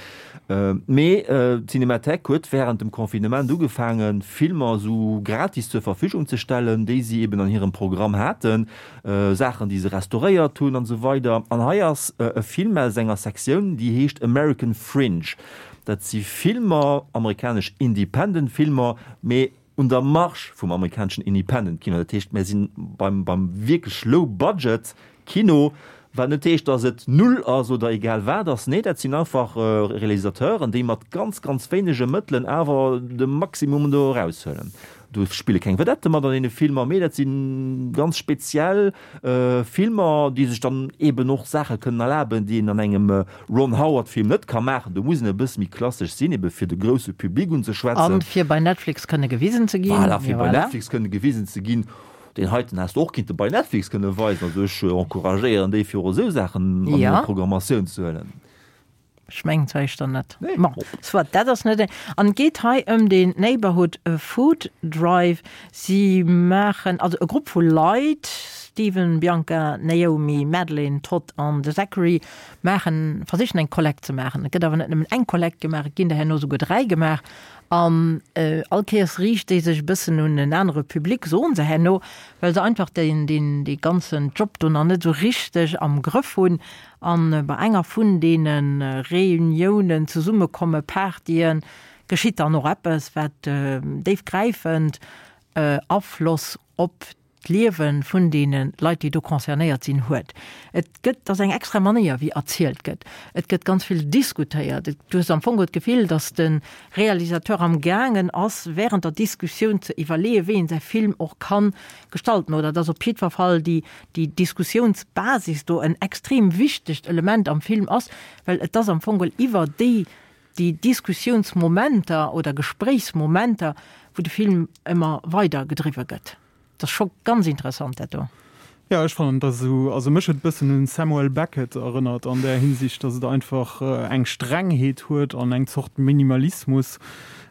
Mee d'Cinémathèque huet wärend dem Confinement ugefaangen, Filmer esou gratis zur Verfügung ze stellen, déi si eben an hirem Programm haten. Saachen, déi se restauréiert hunn an esou weider. An hei ass e Film aus enger Sektioun, déi heescht American Fringe. Dat si Filmer, amerikanesch Independent Filmer, mee un der Marge vum amerikaneschen Independent Kino. Dat heescht, mir si beim, beim wierklech Low Budget Kino, wat net heescht, datt et null ass oder egal wat ass. Nee, dat sinn einfach Realisateuren, déi mat ganz, ganz wéinege Mëttelen awer de Maximum do eraushuelen. Do spille keng Vedette mat an deene Filmer, mee dat si ganz speziell Filmer, déi sech dann eeben och Saache kënnen erlaben, déi een an engem Ron Howard-Film net ka maachen. Do muss een e bësse méi klassesch sinn, ebe fir de grousse Public unzeschwätzen. A fir bei Netflix kënne gewisen ze ginn. Voilà, fir bei Netflix kënne gewisen ze ginn. Deen heiten häss de och kinnte bei Netflix kënne weisen. Also ech encouragéieren déi, fir och esou Saachen an hir Programmatioun ze huelen. Ech mengen zwar éischter net. Bon, soit, dat ass net. An et geet hei ëm den Neighborhood Food Drive. Si maachen, also e Grupp vu Leit, Steven, Bianca, Naomi, Madeline, Todd an de Zachary, maachen, versichen eng Kollekt ze maachen. Et gëtt awer net nëmmen eng Kollekt gemaach, et ginn der herno souguer 3 gemaach. An all Kéiers riicht déi sech e bëssen un en anere Public, soen se herno, well se einfach deen, deen, dee ganzen Job do nach net esou richteg am Grëff hunn. An bei enger vun deene Reuniounen, Zesummekomme, Partyen, geschitt dann och eppes, wat déifgräifend Afloss op d'Liewe vun deene Leit, déi do concernéiert sinn, huet. Et gëtt, et ass eng extra Manéier, wéi erzielt gëtt. Et gëtt ganz vill diskutéiert. Du hues am Fong d'Gefill, datt de Realisateur am gaangen ass, während der Diskussioun ze iwwerleeën, wéi een säi Film och kann gestalten, oder datt op jiddwer Fall déi déi Diskussiounsbasis do en extrem wichtegt Element am Film ass, well et ass am Fong geholl iwwer déi, déi Diskussiounsmomenter oder Gespréichsmomenter, wou de Film ëmmer weider gedriwwe gëtt. Dat ass scho ganz interessant, dat do. Jo, ech fannen, dass esou, also mech huet e bëssen un Samuel Beckett erënnert an där Hinsicht, dass et einfach eng Strengheet huet an eng Zort Minimalismus,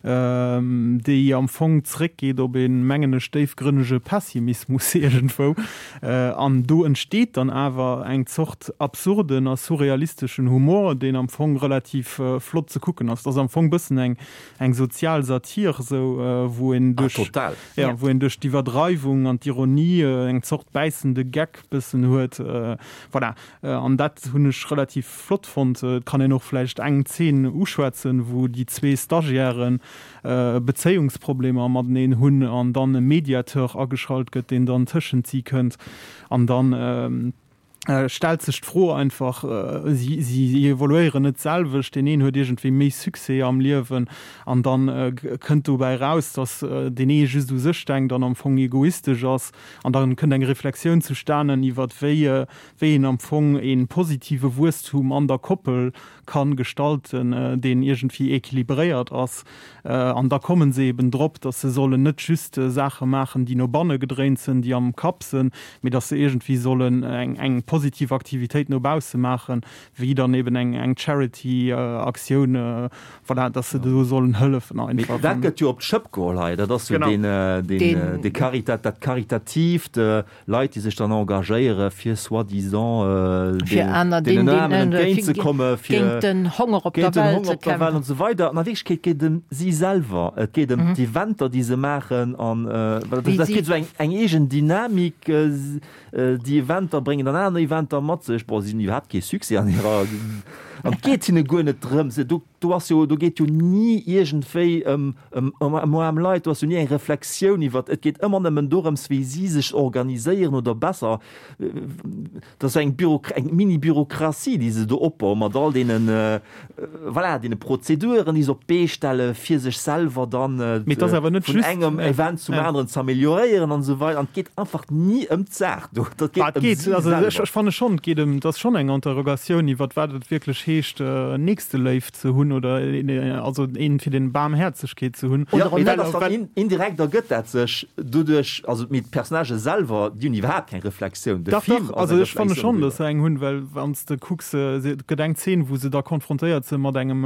déi am Fong zréckgeet op een, mengen ech, déifgrënnege Pessimismus iergendwou. An do entsteet dann awer eng Zort absurden a surrealisteschen Humor, deen am Fong relativ flott ze kucken ass. Et ass am Fong bëssen eng eng sozial Satir, esou, wou een duerch, ja, wou een duerch d'Iwwerdreiwung an d'Ironie eng Zort bäissende Geck bëssen huet. Voilà. An dat hunn ech relativ flott fonnt. Et kann een och vläicht eng Zeen uschwätzen, wou déi zwee Stagiairen Bezéiungsproblemer mateneen hunn an dann e Mediateur ageschalt gëtt, deen dann tëschent si kënnt an dann stellt sech d'Fro einfach, si si evoluéieren net d'selwecht, deen een huet iergendwéi méi Succès am Liewen an dann kënnt dobäi eraus, datt deen ee just u sech denkt an am Fong egoistesch ass an dann kënnt eng Reflexioun zustanen iwwert wéi wéi een am Fong ee positive Wuesstum an der Koppel kann gestalten, deen iergendwéi équilibréiert ass. An da kommen se eben drop, dass se sollen net just Saache maachen, déi no banne gedréint sinn, déi am Kapp sinn, mee dass se iergendwéi sollen eng positiv Aktivitéit no bausse maachen, wéi dann eben eng Charity-Aktioun, voilà, dass se do sollen hëllefen einfach. Dat gëtt jo op d'Schëpp geholl hei. Dat ass jo deen, deen, dee Caritat, dat Karitatiivt, Leit, déi sech dann engagéiere fir soi-disant deenen Aarmen entgéint ze komme fir géint den Honger op der Welt ze kämpfen an esou weider. An a Wierklechkeet geet et ëm si selwer, et geet ëm d'Eventer, déi se maachen an dat kritt esou eng eegen Dynamik. Déi Eventer bréngen dann aner Eventer mat sech. Bon, si hunn iwwerhaapt kee Succès an hirer an et geet hinne guer net drëms. Do ass jo, do geet jo ni iergendwéi ëm, ëm, ëm aarm Leit, do ass jo ni eng Reflexioun iwwert, et geet ëmmer nëmmen dorëms, wéi si sech organiséieren oder besser, dat ass eng Büro, eng Mini-Bürokratie, déi se do opbauen, mat all deenen, voilà, deene Prozeduren, déi se op d'Bee stelle fir sech selwer dann Mee et ass awer net vun just, engem Event zum aneren z'amélioréieren an esou weider. An et geet einfach ni ëm d'Saach do, dat geet ëm si selwer. Ech fanne schonn, et geet ëm, et ass schonn eng Interrogatioun iwwert wat et wierklech heescht, Nächsteléift ze hunn oder also een fir den Baarmhäerzegkeet ze hunn. Jo, mee dat ass dann indirekt ergëtt dat sech doduerch, also mee d'Personnagë selwer, déi hunn iwwerhaapt keng Reflexioun. De Dach, Film dach, ass also eng ech fanne Reflexioun schonn, datt doriwwer. se eng hunn, well wann s de kucks, et gëtt eng Zeen, wou se da konfrontéiert si mat engem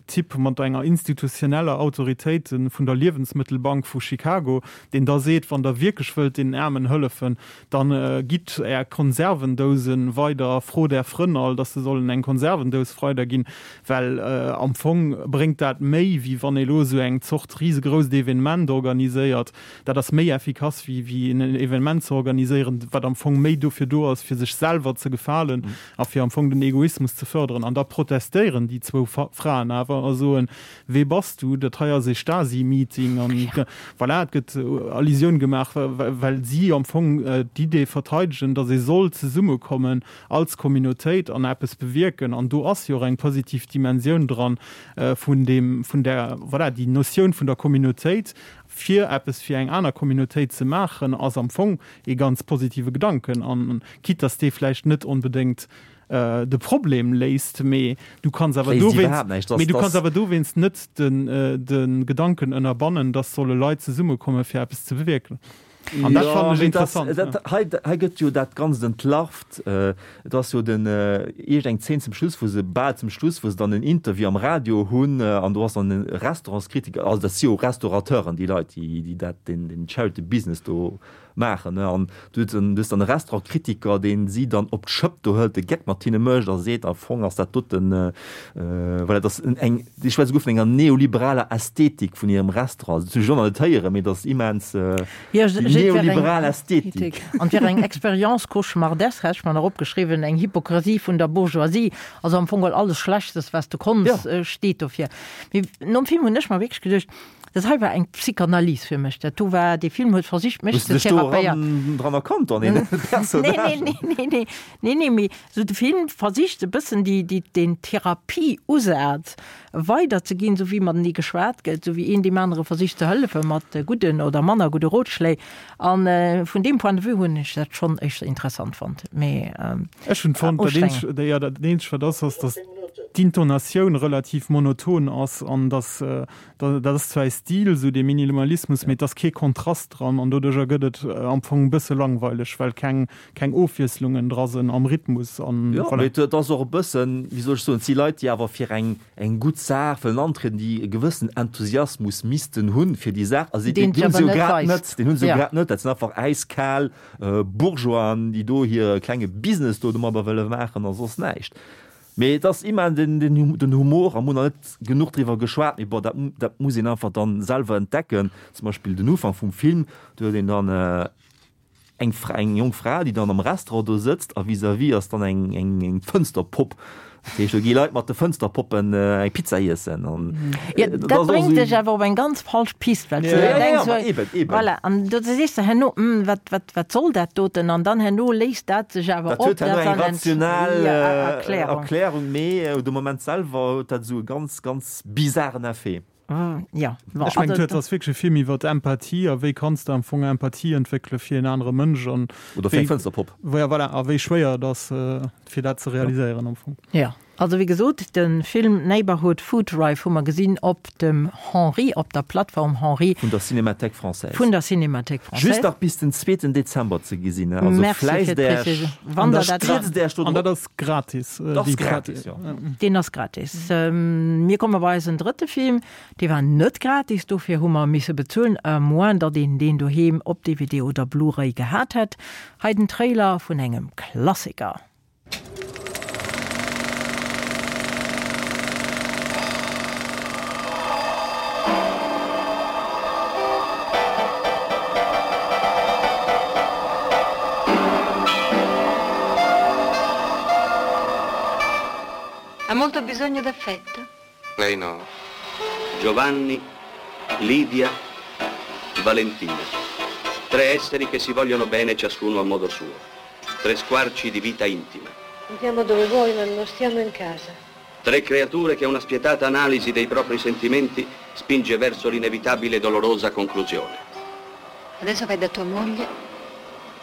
Typ mat enger institutioneller Autoritéit vun der Liewensmëttelbank vu Chicago, deen da seet, wann der wierklech wëllt deenen Aarmen hëllefen, Dann gitt är Konservendousen weider, frot är Frënn all, dass se sollen eng Konservendous weiderginn, well am Fong bréngt dat méi, wéi wann ee lo esou eng Zort risegrousst Evenement organiséiert. Dat ass méi effikass, wéi wéi en Evenement ze organiséieren, wat am Fong méi dofir do ass, fir sech selwer ze gefalen a fir am Fong den Egoismus ze förderen. An da protestéieren déi zwou Fraen awer a soen, Wee bass du? Dat hei ass ee Stasi-Meeting. An voilà, et gëtt Allusioun gemaach, well si am Fong d'Idee verteidegen, datt ee soll zesummekommen als Communautéit an eppes bewierken. An do ass jo och eng positiv Dimensioun dran vun deem, vun där, voilà, déi Notioun vun der Communautéit, fir eppes fir eng aner Communautéit ze maachen, ass am Fong ee ganz positive Gedanken. An quitte datt dee vläicht net onbedéngt de Problem léist, mee du kanns awer dowéinst, mee du kanns awer dowéinst net den de Gedanken ënnerbannen, dass solle Leit zesummekomme fir eppes ze bewierken. An dat fannen ech interessant. Dat hei, hei gëtt jo dat Ganzt entlarvt. Et ass jo den iergend eng Zeen zum Schluss, wou se, bal zum Schluss, wou se dann en Interview am Radio hunn an do ass dann e Restaurantskritiker, also dat si jo Restaurateuren, déi Leit, déi déi dat deen deen Charity Business do maachen, ne, an du hues du hues dann e Restaurantkritiker, deen si dann op d'Schëpp do hëlt, de Geck mat hinne mécht a seet, am Fong ass dat doten, voilà, dat ass eng, déi schwätze souguer vun enger neoliberaler Ästhetik vun hirem Restaurant, dat hunn ech och nach net héieren, mee dat ass immens, déi neoliberal Ästhetik. An et wär eng Expérience cauchemardesque, hat ech mer nach opgeschriwwen, eng Hypokrisie vun der Bourgeoisie, also am Fong geholl alles Schlechtes, was du konns, steet dofir. Mee nom Film hunn ech mer wierklech geduecht, Dat hei war eng Psychanalyse fir mech. Dat do war, dee Film huet versicht mech Hues ze de dech do therapéieren. eran dran erkannt an deene Personnagen? Nee, nee, nee, nee, nee, nee, mee sou de Film versicht e bëssen déi, déi, deen Therapieusaz weiderzeginn, sou wéi matenee geschwat gëtt, sou wéi een deem anere versicht ze hëllefe mat gudden oder manner gudde Rotschléi. An vun deem Point de vue hunn ech dat schonn éischter interessant fonnt, mee Ech hunn fonnt, dat ustrengend. eenzegt, jo, dat eenzegt wat ass, ass, dass. d'Intonatioun relativ monoton ass an dass dat ass zwar e Stil, esou dee Minimalismus, mee et ass kee Kontrast dran an doduercher gëtt et am Fong e bësse langweileg, well keng keng Ofwiesslungen dra sinn am Rhythmus an Jo, voilà. mee et ass och e bëssen, wéi soll ech soen, et si Leit, déi awer fir eng eng gutt Saach wëllen antrieden, déi e gewëssen Enthusiasmus missten hunn fir déi Saach, a si Deen deen se hunn se awer jo net grad weist. net, deen hunn se jo Ja. grad net. Dat sinn einfach äiskal Bourgeoisen, déi do hire klenge Business do domadder wëlle maachen a soss näischt. Mee et ass immer den, den, den Humor, a mir hunn nach net genuch driwwer geschwat, mee bon, dat, dat muss een einfach dann selwer entdecken. Zum Beispill den Ufank vum Film, do huet een dann eng Fra, eng jonk Fra, déi dann am Restaurant do sëtzt a vis-à-vis ass dann eng, eng, eng Fënsterpopp. Dat heescht, do gi Leit mat de Fënsterpoppen eng Pizza iessen an Jo, dat bréngt dech awer op eng ganz falsch Pist, well s du da denks, Ja, ja, eben, eben. Voilà, an do sees de herno, Hm, wat, wat, wat soll dat doten? An dann herno léist dat sech awer Dat op. huet herno Dat eng ass dann rational Erklärung. Erklärung, mee de Moment selwer huet dat esou e ganz, ganz bizaren Effet. Ja, bon, Ech mengen, et ass wierklech e Film iwwer Empathie a wéi kanns de am Fong Empathie entwéckele fir en anere Mënsch an Oder fir eng Fënsterpopp. Ja, voilà, a wéi schwéier et ass, fir dat ze realiséieren am Fong. Ja, also wéi gesot, de Film Neighbourhood Food Drive hu mer gesinn op dem Henri, op der Plattform Henri. Vun der Cinémathèque Française. Vun der Cinémathèque Française. Just nach bis den zweeten Dezember ze gesinn, also Merci fir fläisst Äech. d'Précision. Wann der dat. Stierzt Äech do An dat drop. ass gratis. Dat ass gratis, jo. Deen ass gratis. Mir komme bei eisen drëtte Film. Dee war net gratis, dofir hu mer misse bezuelen, à moins datt een deen doheem op DVD oder Blu-ray gehat hätt. Hei den Trailer vun engem Klassiker. Ha molto bisogno d'affetto? Lei no. Giovanni, Lidia, Valentina. Tre esseri che si vogliono bene ciascuno a modo suo. Tre squarci di vita intima. Andiamo dove vuoi, ma non stiamo in casa. Tre creature che una spietata analisi dei propri sentimenti spinge verso l'inevitabile e dolorosa conclusione. Adesso vai da tua moglie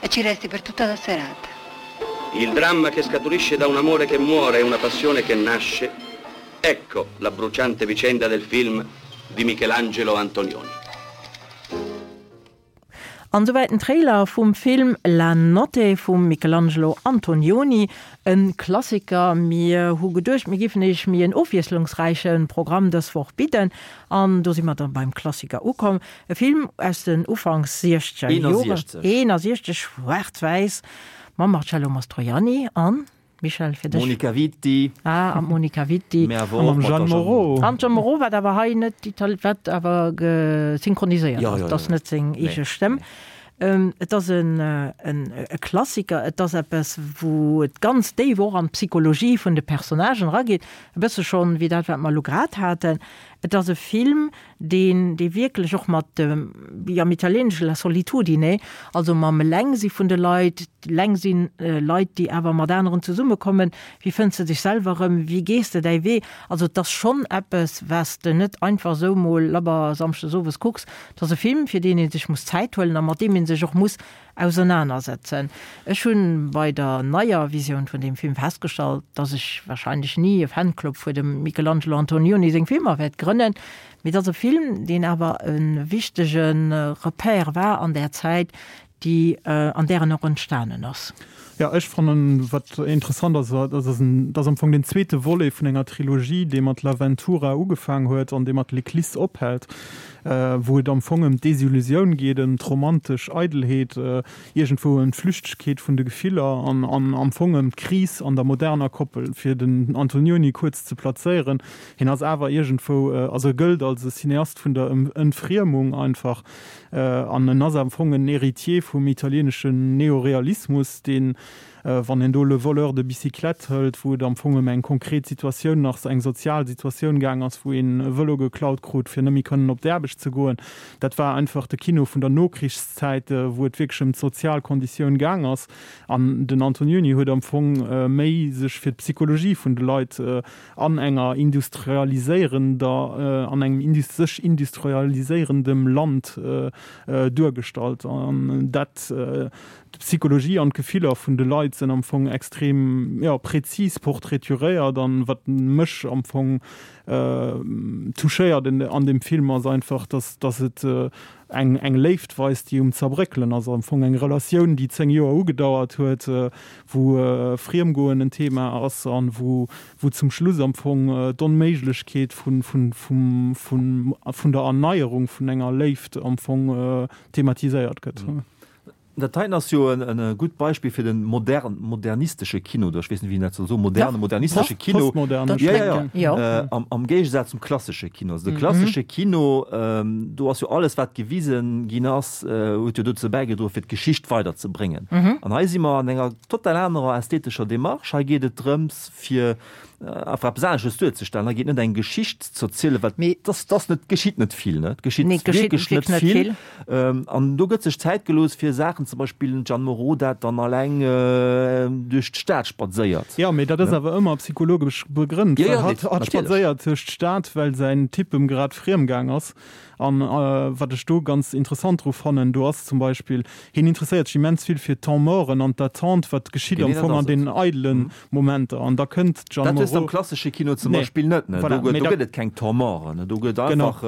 e ci resti per tutta la serata. Il dramma che scaturisce da un amore che muore e una passione che nasce, ecco la bruciante vicenda del film di Michelangelo Antonioni. An souwäit den Trailer vum Film La Notte vum Michelangelo Antonioni, e Klassiker. Mir hu geduecht, mir giffen iech méi en ofwiesslungsräiche Programm dës Woch bidden, an do si mer da beim Klassiker ukomm. E Film aus den Ufanks siechzeger Joren, 61, schwaarz-wäiss, mam Marcello Mastroianni an. Michel, fir dech. Monica Vitti. Ah, an d'Monica Vitti. Mä awer och mat der Jeanne Moreau. An d'Jeanne Moreau, wat awer hei net Itali-, wat awer synchroniséiert Ja, ass. ja, Et ass ja. net seng Nee, eege Stëmm. nee. Et ass en, en, e Klassiker. Et ass eppes, wou et ganz déif och an d'Psychologie vun de Personnagen erageet. E bësse schonn wéi dat, wat mer elo grad haten. Et ass e Film, deen, dee wierklech och mat dem, wéi am Italieenesche la solitudine, also mam Elengsi vun de Leit, Elengsinn, Leit, déi awer mat aneren zesummekommen, wéi fënns de dech selwer erëm, wéi gees de däi Wee? Also et ass schonn eppes, wat s de net einfach esou mol labber samschdes owes kucks. Et ass e Film, fir deen ee sech muss Zäit huelen a mat deem ee sech och muss ausernanersetzen. Ech hunn bei der neier Visioun vun deem Film festgestallt, dass ech wahrscheinlech ni e Fanclub fir dem Michelangelo Antonioni seng Filmer wäert grënnen, mee et ass e Film, deen awer e wichtege Repère war an där Zäit, déi an där en och entstanen ass. Jo, ech fannen, wat interessant ass, dat ass en, dat ass am Fong den zweete Volet vun enger Trilogie, dee mat L'Avventura ugefaang huet an dee mat L'Eclisse ophält. wou et am Fong ëm d'Desillusioun geet, ëm d'romantesch Eidelheet, iergendwou ëm d'Flüchtegkeet vun de Gefiller an am Fong ëm d'Kris an der moderner Koppel. Fir den Antonioni kuerz ze plazéieren, hien ass awer iergendwou, also e gëllt als e Cineast vun der Entfriemung einfach an en ass am Fong en Héritier vum italieeneschen Neorealismus, deen Wann een do Le voleur de bicyclette hëlt, wou et am Fong ëm eng konkret Situatioun nach, eng sozial Situatioun gaang ass, wou een e Vëlo geklaut krut, fir net méi kënnen op d'Aarbecht ze goen, dat war einfach de Kino vun der Nokrichszäit, wou et wierklech ëm d'sozial Konditioun gaang ass. An den Antonioni huet am Fong méi sech fir d'Psychologie vun de Leit an enger industrialiséierender, an engem sech industrialiséierendem Land duergestallt. An dat. D'Psychologie an d'Gefiller vun de Leit sinn am Fong extrem, jo, präzis portraituréiert an wat mech am Fong touchéiert an deem Film ass einfach, dass dass et eng eng Léift weist, déi um Zerbréckelen ass, am Fong eng Relatioun, déi 10 Joer ugedauert huet, wou Friemgoen en Thema ass an wou wou zum Schluss am Fong d'Onméiglechkeet vun vun vum vun vun der Erneierung vun enger Léift am Fong thematiséiert gëtt. Dat heiten ass jo e gutt Beispill fir de modern, modernistesche Kino, oder ech weess net, wéi een dat soll soen, moderne, modernistesche Kino. Postmoderne. Ja, ja, ja. Am, am Géigesaz zum klassesche Kino. Also de klassesche Kino, do ass jo alles, wat gewisen ginn ass, huet jo dozou bäigedroen, fir d'Geschicht weiderzebréngen. An hei si mer an enger total anerer ästhetescher Démarche. Hei geet et drëms, fir einfach eppes anesches duerzestellen. Hei geet net eng Geschicht ze erzielen, well dass, dass net, geschitt net vill, ne? Et geschitt wierklech net vill. An do gëtt sech Zäit gelooss fir Saachen, zum Beispill den Jeanne Moreau, dat dann alleng duerch d'Stad spadséiert. Jo, mee dat ass awer ëmmer psychologesch begrënnt, well hatt spadséiert duerch d'Stad, well säin Typ em grad friem gaang ass. An wat ech do ganz interessant dru fannen, do ass zum Beispill, hien interesséiert sech immens vill fir d'Temps-morten an d'Attente, wat geschitt am Fong an deenen eidelen Momenter. An da kënnt d'Jeanne Moreau. Dat hues de am klassesche Kino zum Beispill net, ne? Do gëtt et keng Temps-morten, ne? Do gëtt einfach,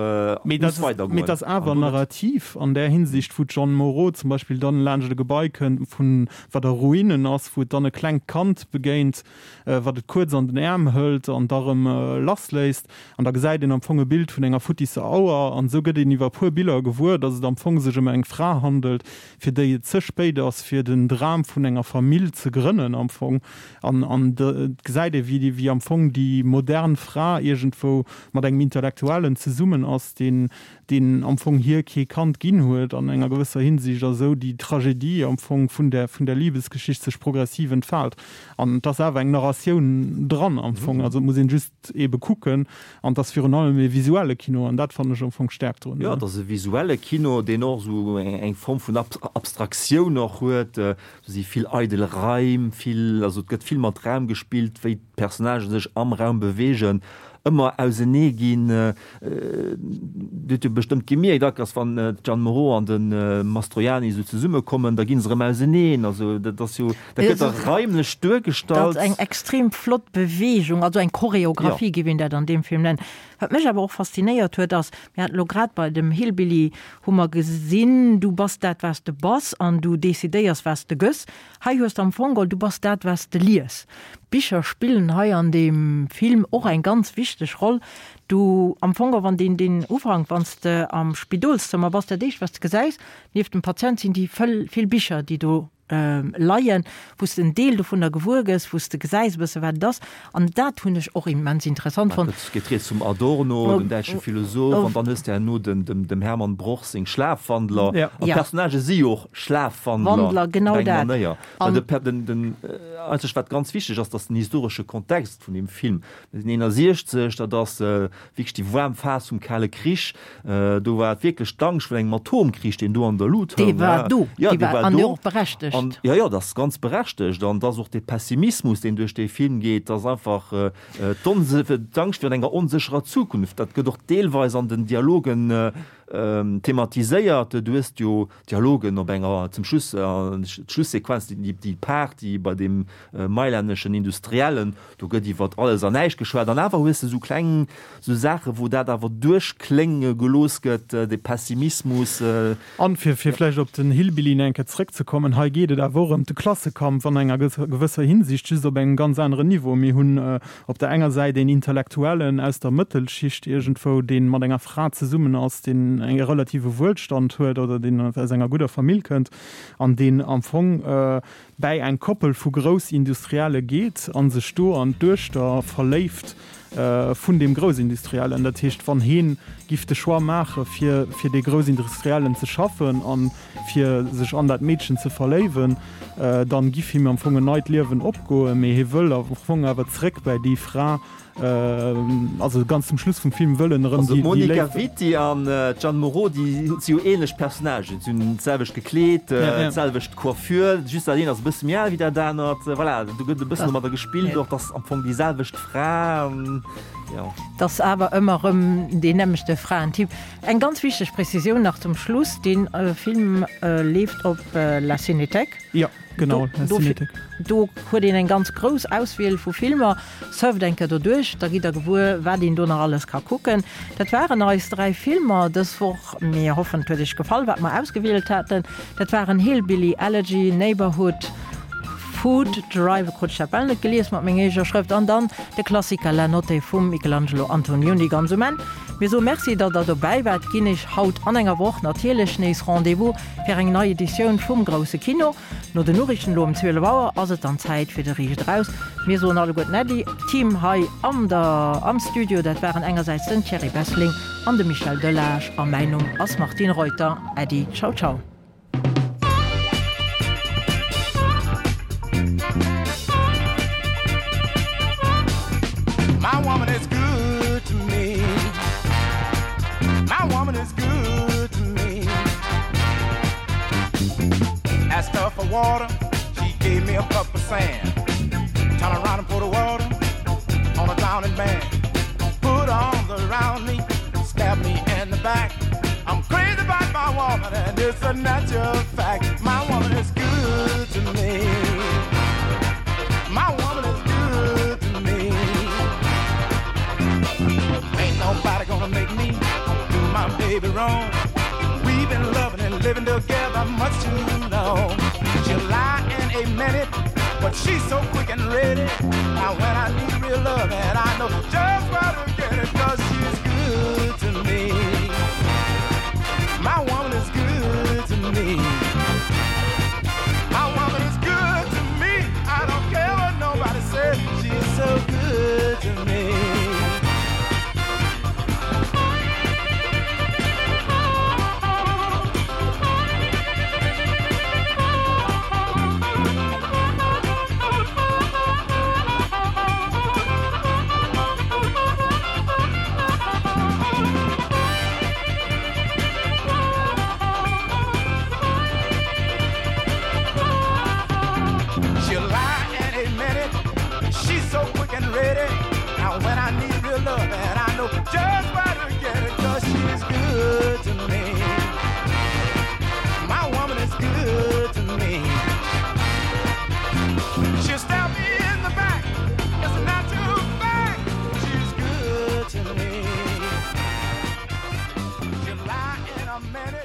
muss weidergoen. Mee et ass awer narrativ an där Hinsicht, wou d'Jeanne Moreau zum Beispill dann laanscht e Gebai kënnt, vun, wat a Ruinen ass, wou et dann e klengt Kand begéint, wat et kuerz an den Äerm hëlt an da rëm lassléisst. An da gesäit een am Fong e Bild vun enger futtisser Auer. An esou gëtt een iwwer e puer Biller gewuer, datt et am Fong sech ëm eng Fra handelt, fir déi et ze spéit ass, fir den Dram vun enger Famill ze grënnen am Fong. An an et gesäit ee wéi wéi am Fong déi modern Fra iergendwou mat engem Intellektuellen zesummen ass, deen deen am Fong hir kee Kand ginn huet an enger gewësser Hinsicht, a sou déi Tragedie am Fong vun där vun där Libesgeschicht sech progressiv entfaalt. An et ass awer eng Narratioun dran am Fong, also et muss een just ebe kucken. An et ass virun allem e visuelle Kino, an dat fannen ech am Fong d'Stäerkt drun. Jo, et ass e visuelle Kino, deen och esou eng Form vun Abstraktioun och huet. Do si vill eidel Raim, vill, also et gëtt vill mat Raum gespillt, wéi d'Personnagen sech am Raum beweegen, ëmmer ausenee ginn. Dir hutt jo bestëmmt gemierkt, Akers, wann d'Jeanne Moreau an de Mastroianni esou zesummekommen, da gi se erëm auseneen. Also dat ass jo, dat gëtt da raimlech duergestallt. Dat ass eng extrem flott Beweegung, also eng Choreographie géif een dat an deem Film nennen. Wat mech awer och faszinéiert huet, ass, mir haten elo grad bei dem Hillbilly hu mer gesinn, du bass dat, wat s de bass an du decidéiers, wat s de gëss. Hei hues de am Fong geholl, du bass dat, wat s de lies. D'Bicher spillen hei an deem Film och eng ganz wichteg Roll. Du, am Fong geholl, wann deen, deen Ufank, wann s de am Spidolszëmmer bass, dat éischt, wat s de gesäis, nieft dem Patient sinn déi vill Bicher, déi do leien, wou s de en Deel dovunner gewuer gëss, wou s de gesäis e bësse wat et ass. An dat hunn ech och immens interessant fonnt. Et geet rieds vum Adorno, dem däitsche Philosoph, an dann hues de herno dem Hermann Broch seng Schlafwandler. An d'Personnagë si jo och Schlafwandler op eng Manéier. Well den eenzegt wat ganz wichteg ass, datt den historesche Kontext vun deem Film, mir sinn 61, dat ass wierklech déi waarm Phas vum Kale Krich, Do war et wierklech d'Angscht vun engem Atomkrich, deen do an der Lut houng. Dee war do. Ja, dee war do. An och berechtegt. An, ja, ja, dat ass ganz berechtegt. An et ass och dee Pessimismus, deen duerch dee Film geet, dat ass einfach d'Angscht virun enger onsécherer Zukunft. Dat gëtt och deelweis an den Dialogen thematiséiert. Du hues jo Dialogen op enger, zum Schluss, d'Schlussequenz, déi Party bei deem mailänneschen Industriellen, Do gëtt iwwert alles an näischt geschwat an awer hues de sou kleng sou Saachen, wou dat awer duerchklénge gelooss gëtt, de Pessimismus. An fir fir vläicht op den Hillbilly nach eng Kéier zrëckzekommen, hei geet et awer och ëm de Klassekampf an enger gewësser Hinsicht, just op engem ganz aneren Niveau. Mir hunn op der enger Säit een Intellektuellen aus der Mëttelschicht iergendwou, dee mat enger Fra zesummen ass, deen e relative Wuelstand huet oder deen aus enger gudder Famill kënnt an deen am Fong bäi eng Koppel vu Groussindustrielle geet a sech do an d'Duechter verléift vun deem Groussindustriellen. Dat heescht, wann heen giff de Choix maache fir fir dee Groussindustriellen ze schaffen a fir sech an dat Meedchen ze verléiwen, dann giff him am Fong en neit Liewen opgoen. Mee hie wëll am Fong awer zréck bäi déi Fra, Also ganz zum Schluss vum Film wëllen erëm déi Léift. D'Monica Vitti an d'Jeanne Moreau, déi si jo ähnlech Personnagen, si hunn d'selwecht gekleet, d'selwecht Coiffure, just dat eent ass e bësse méi al wéi dat anert. Voilà, do gëtt e bëssen domadder gespillt och, dass am Fong déi selwecht Fra. Jo. 't ass awer ëmmer erëm deen nämmlechte Fraentyp. Eng ganz wichteg Prezisioun nach zum Schluss, Dee Film leeft op La Cinéthèque. Jo, genau, La Cinéthèque. Do huet een eng ganz grouss Auswiel vu Filmer. Surft eng Kéier doduerch, da gitt der gewuer, wat een do nach alles ka kucken. Dat waren eis 3 Filmer dës Woch. Mir hoffen, et huet iech gefall, wat mer ausgewielt haten. Dat waren Hillbilly Elegy, Neighborhood Food Drive, krut ech dat bal net gelies mat menger eegener Schrëft, an dann de Klassiker La Notte vum Michelangelo Antonioni ganz um Enn. Mir soe Merci, datt der dobäi waart. Ginn iech haut an enger Woch natierlech nees Rendez-vous fir eng nei Editioun vum Grousse Kino. No den Noriichten elo um 12 Auer ass et dann Zäit fir de Riicht Eraus. Mir soen alleguerten Äddi. D'Team hei an der am Studio, dat waren engersäits den Thierry Bessling an de Michel Delage a mäin Numm ass Martine Reuter. Äddi, ciao ciao. My woman is good to me. My woman is good to me. Asked her for water, she gave me a cup of sand. Turn around and put the water on a drowning man. Put arms around me, stab me in the back. I'm crazy about my woman and it's a natural fact. My woman is good to me. My woman is good to me. Ain't nobody gonna make me do my baby wrong. We've been loving and living together much too long. She'll lie in a minute, but she's so quick and ready. Now when I need real love and I know just where to get it, cause she's good to me. My woman is good to me. My woman is good to me. I don't care what nobody says. She's so good to me. She'll lie in a minute. She's so quick and ready. Now when I need real love and I know just what to.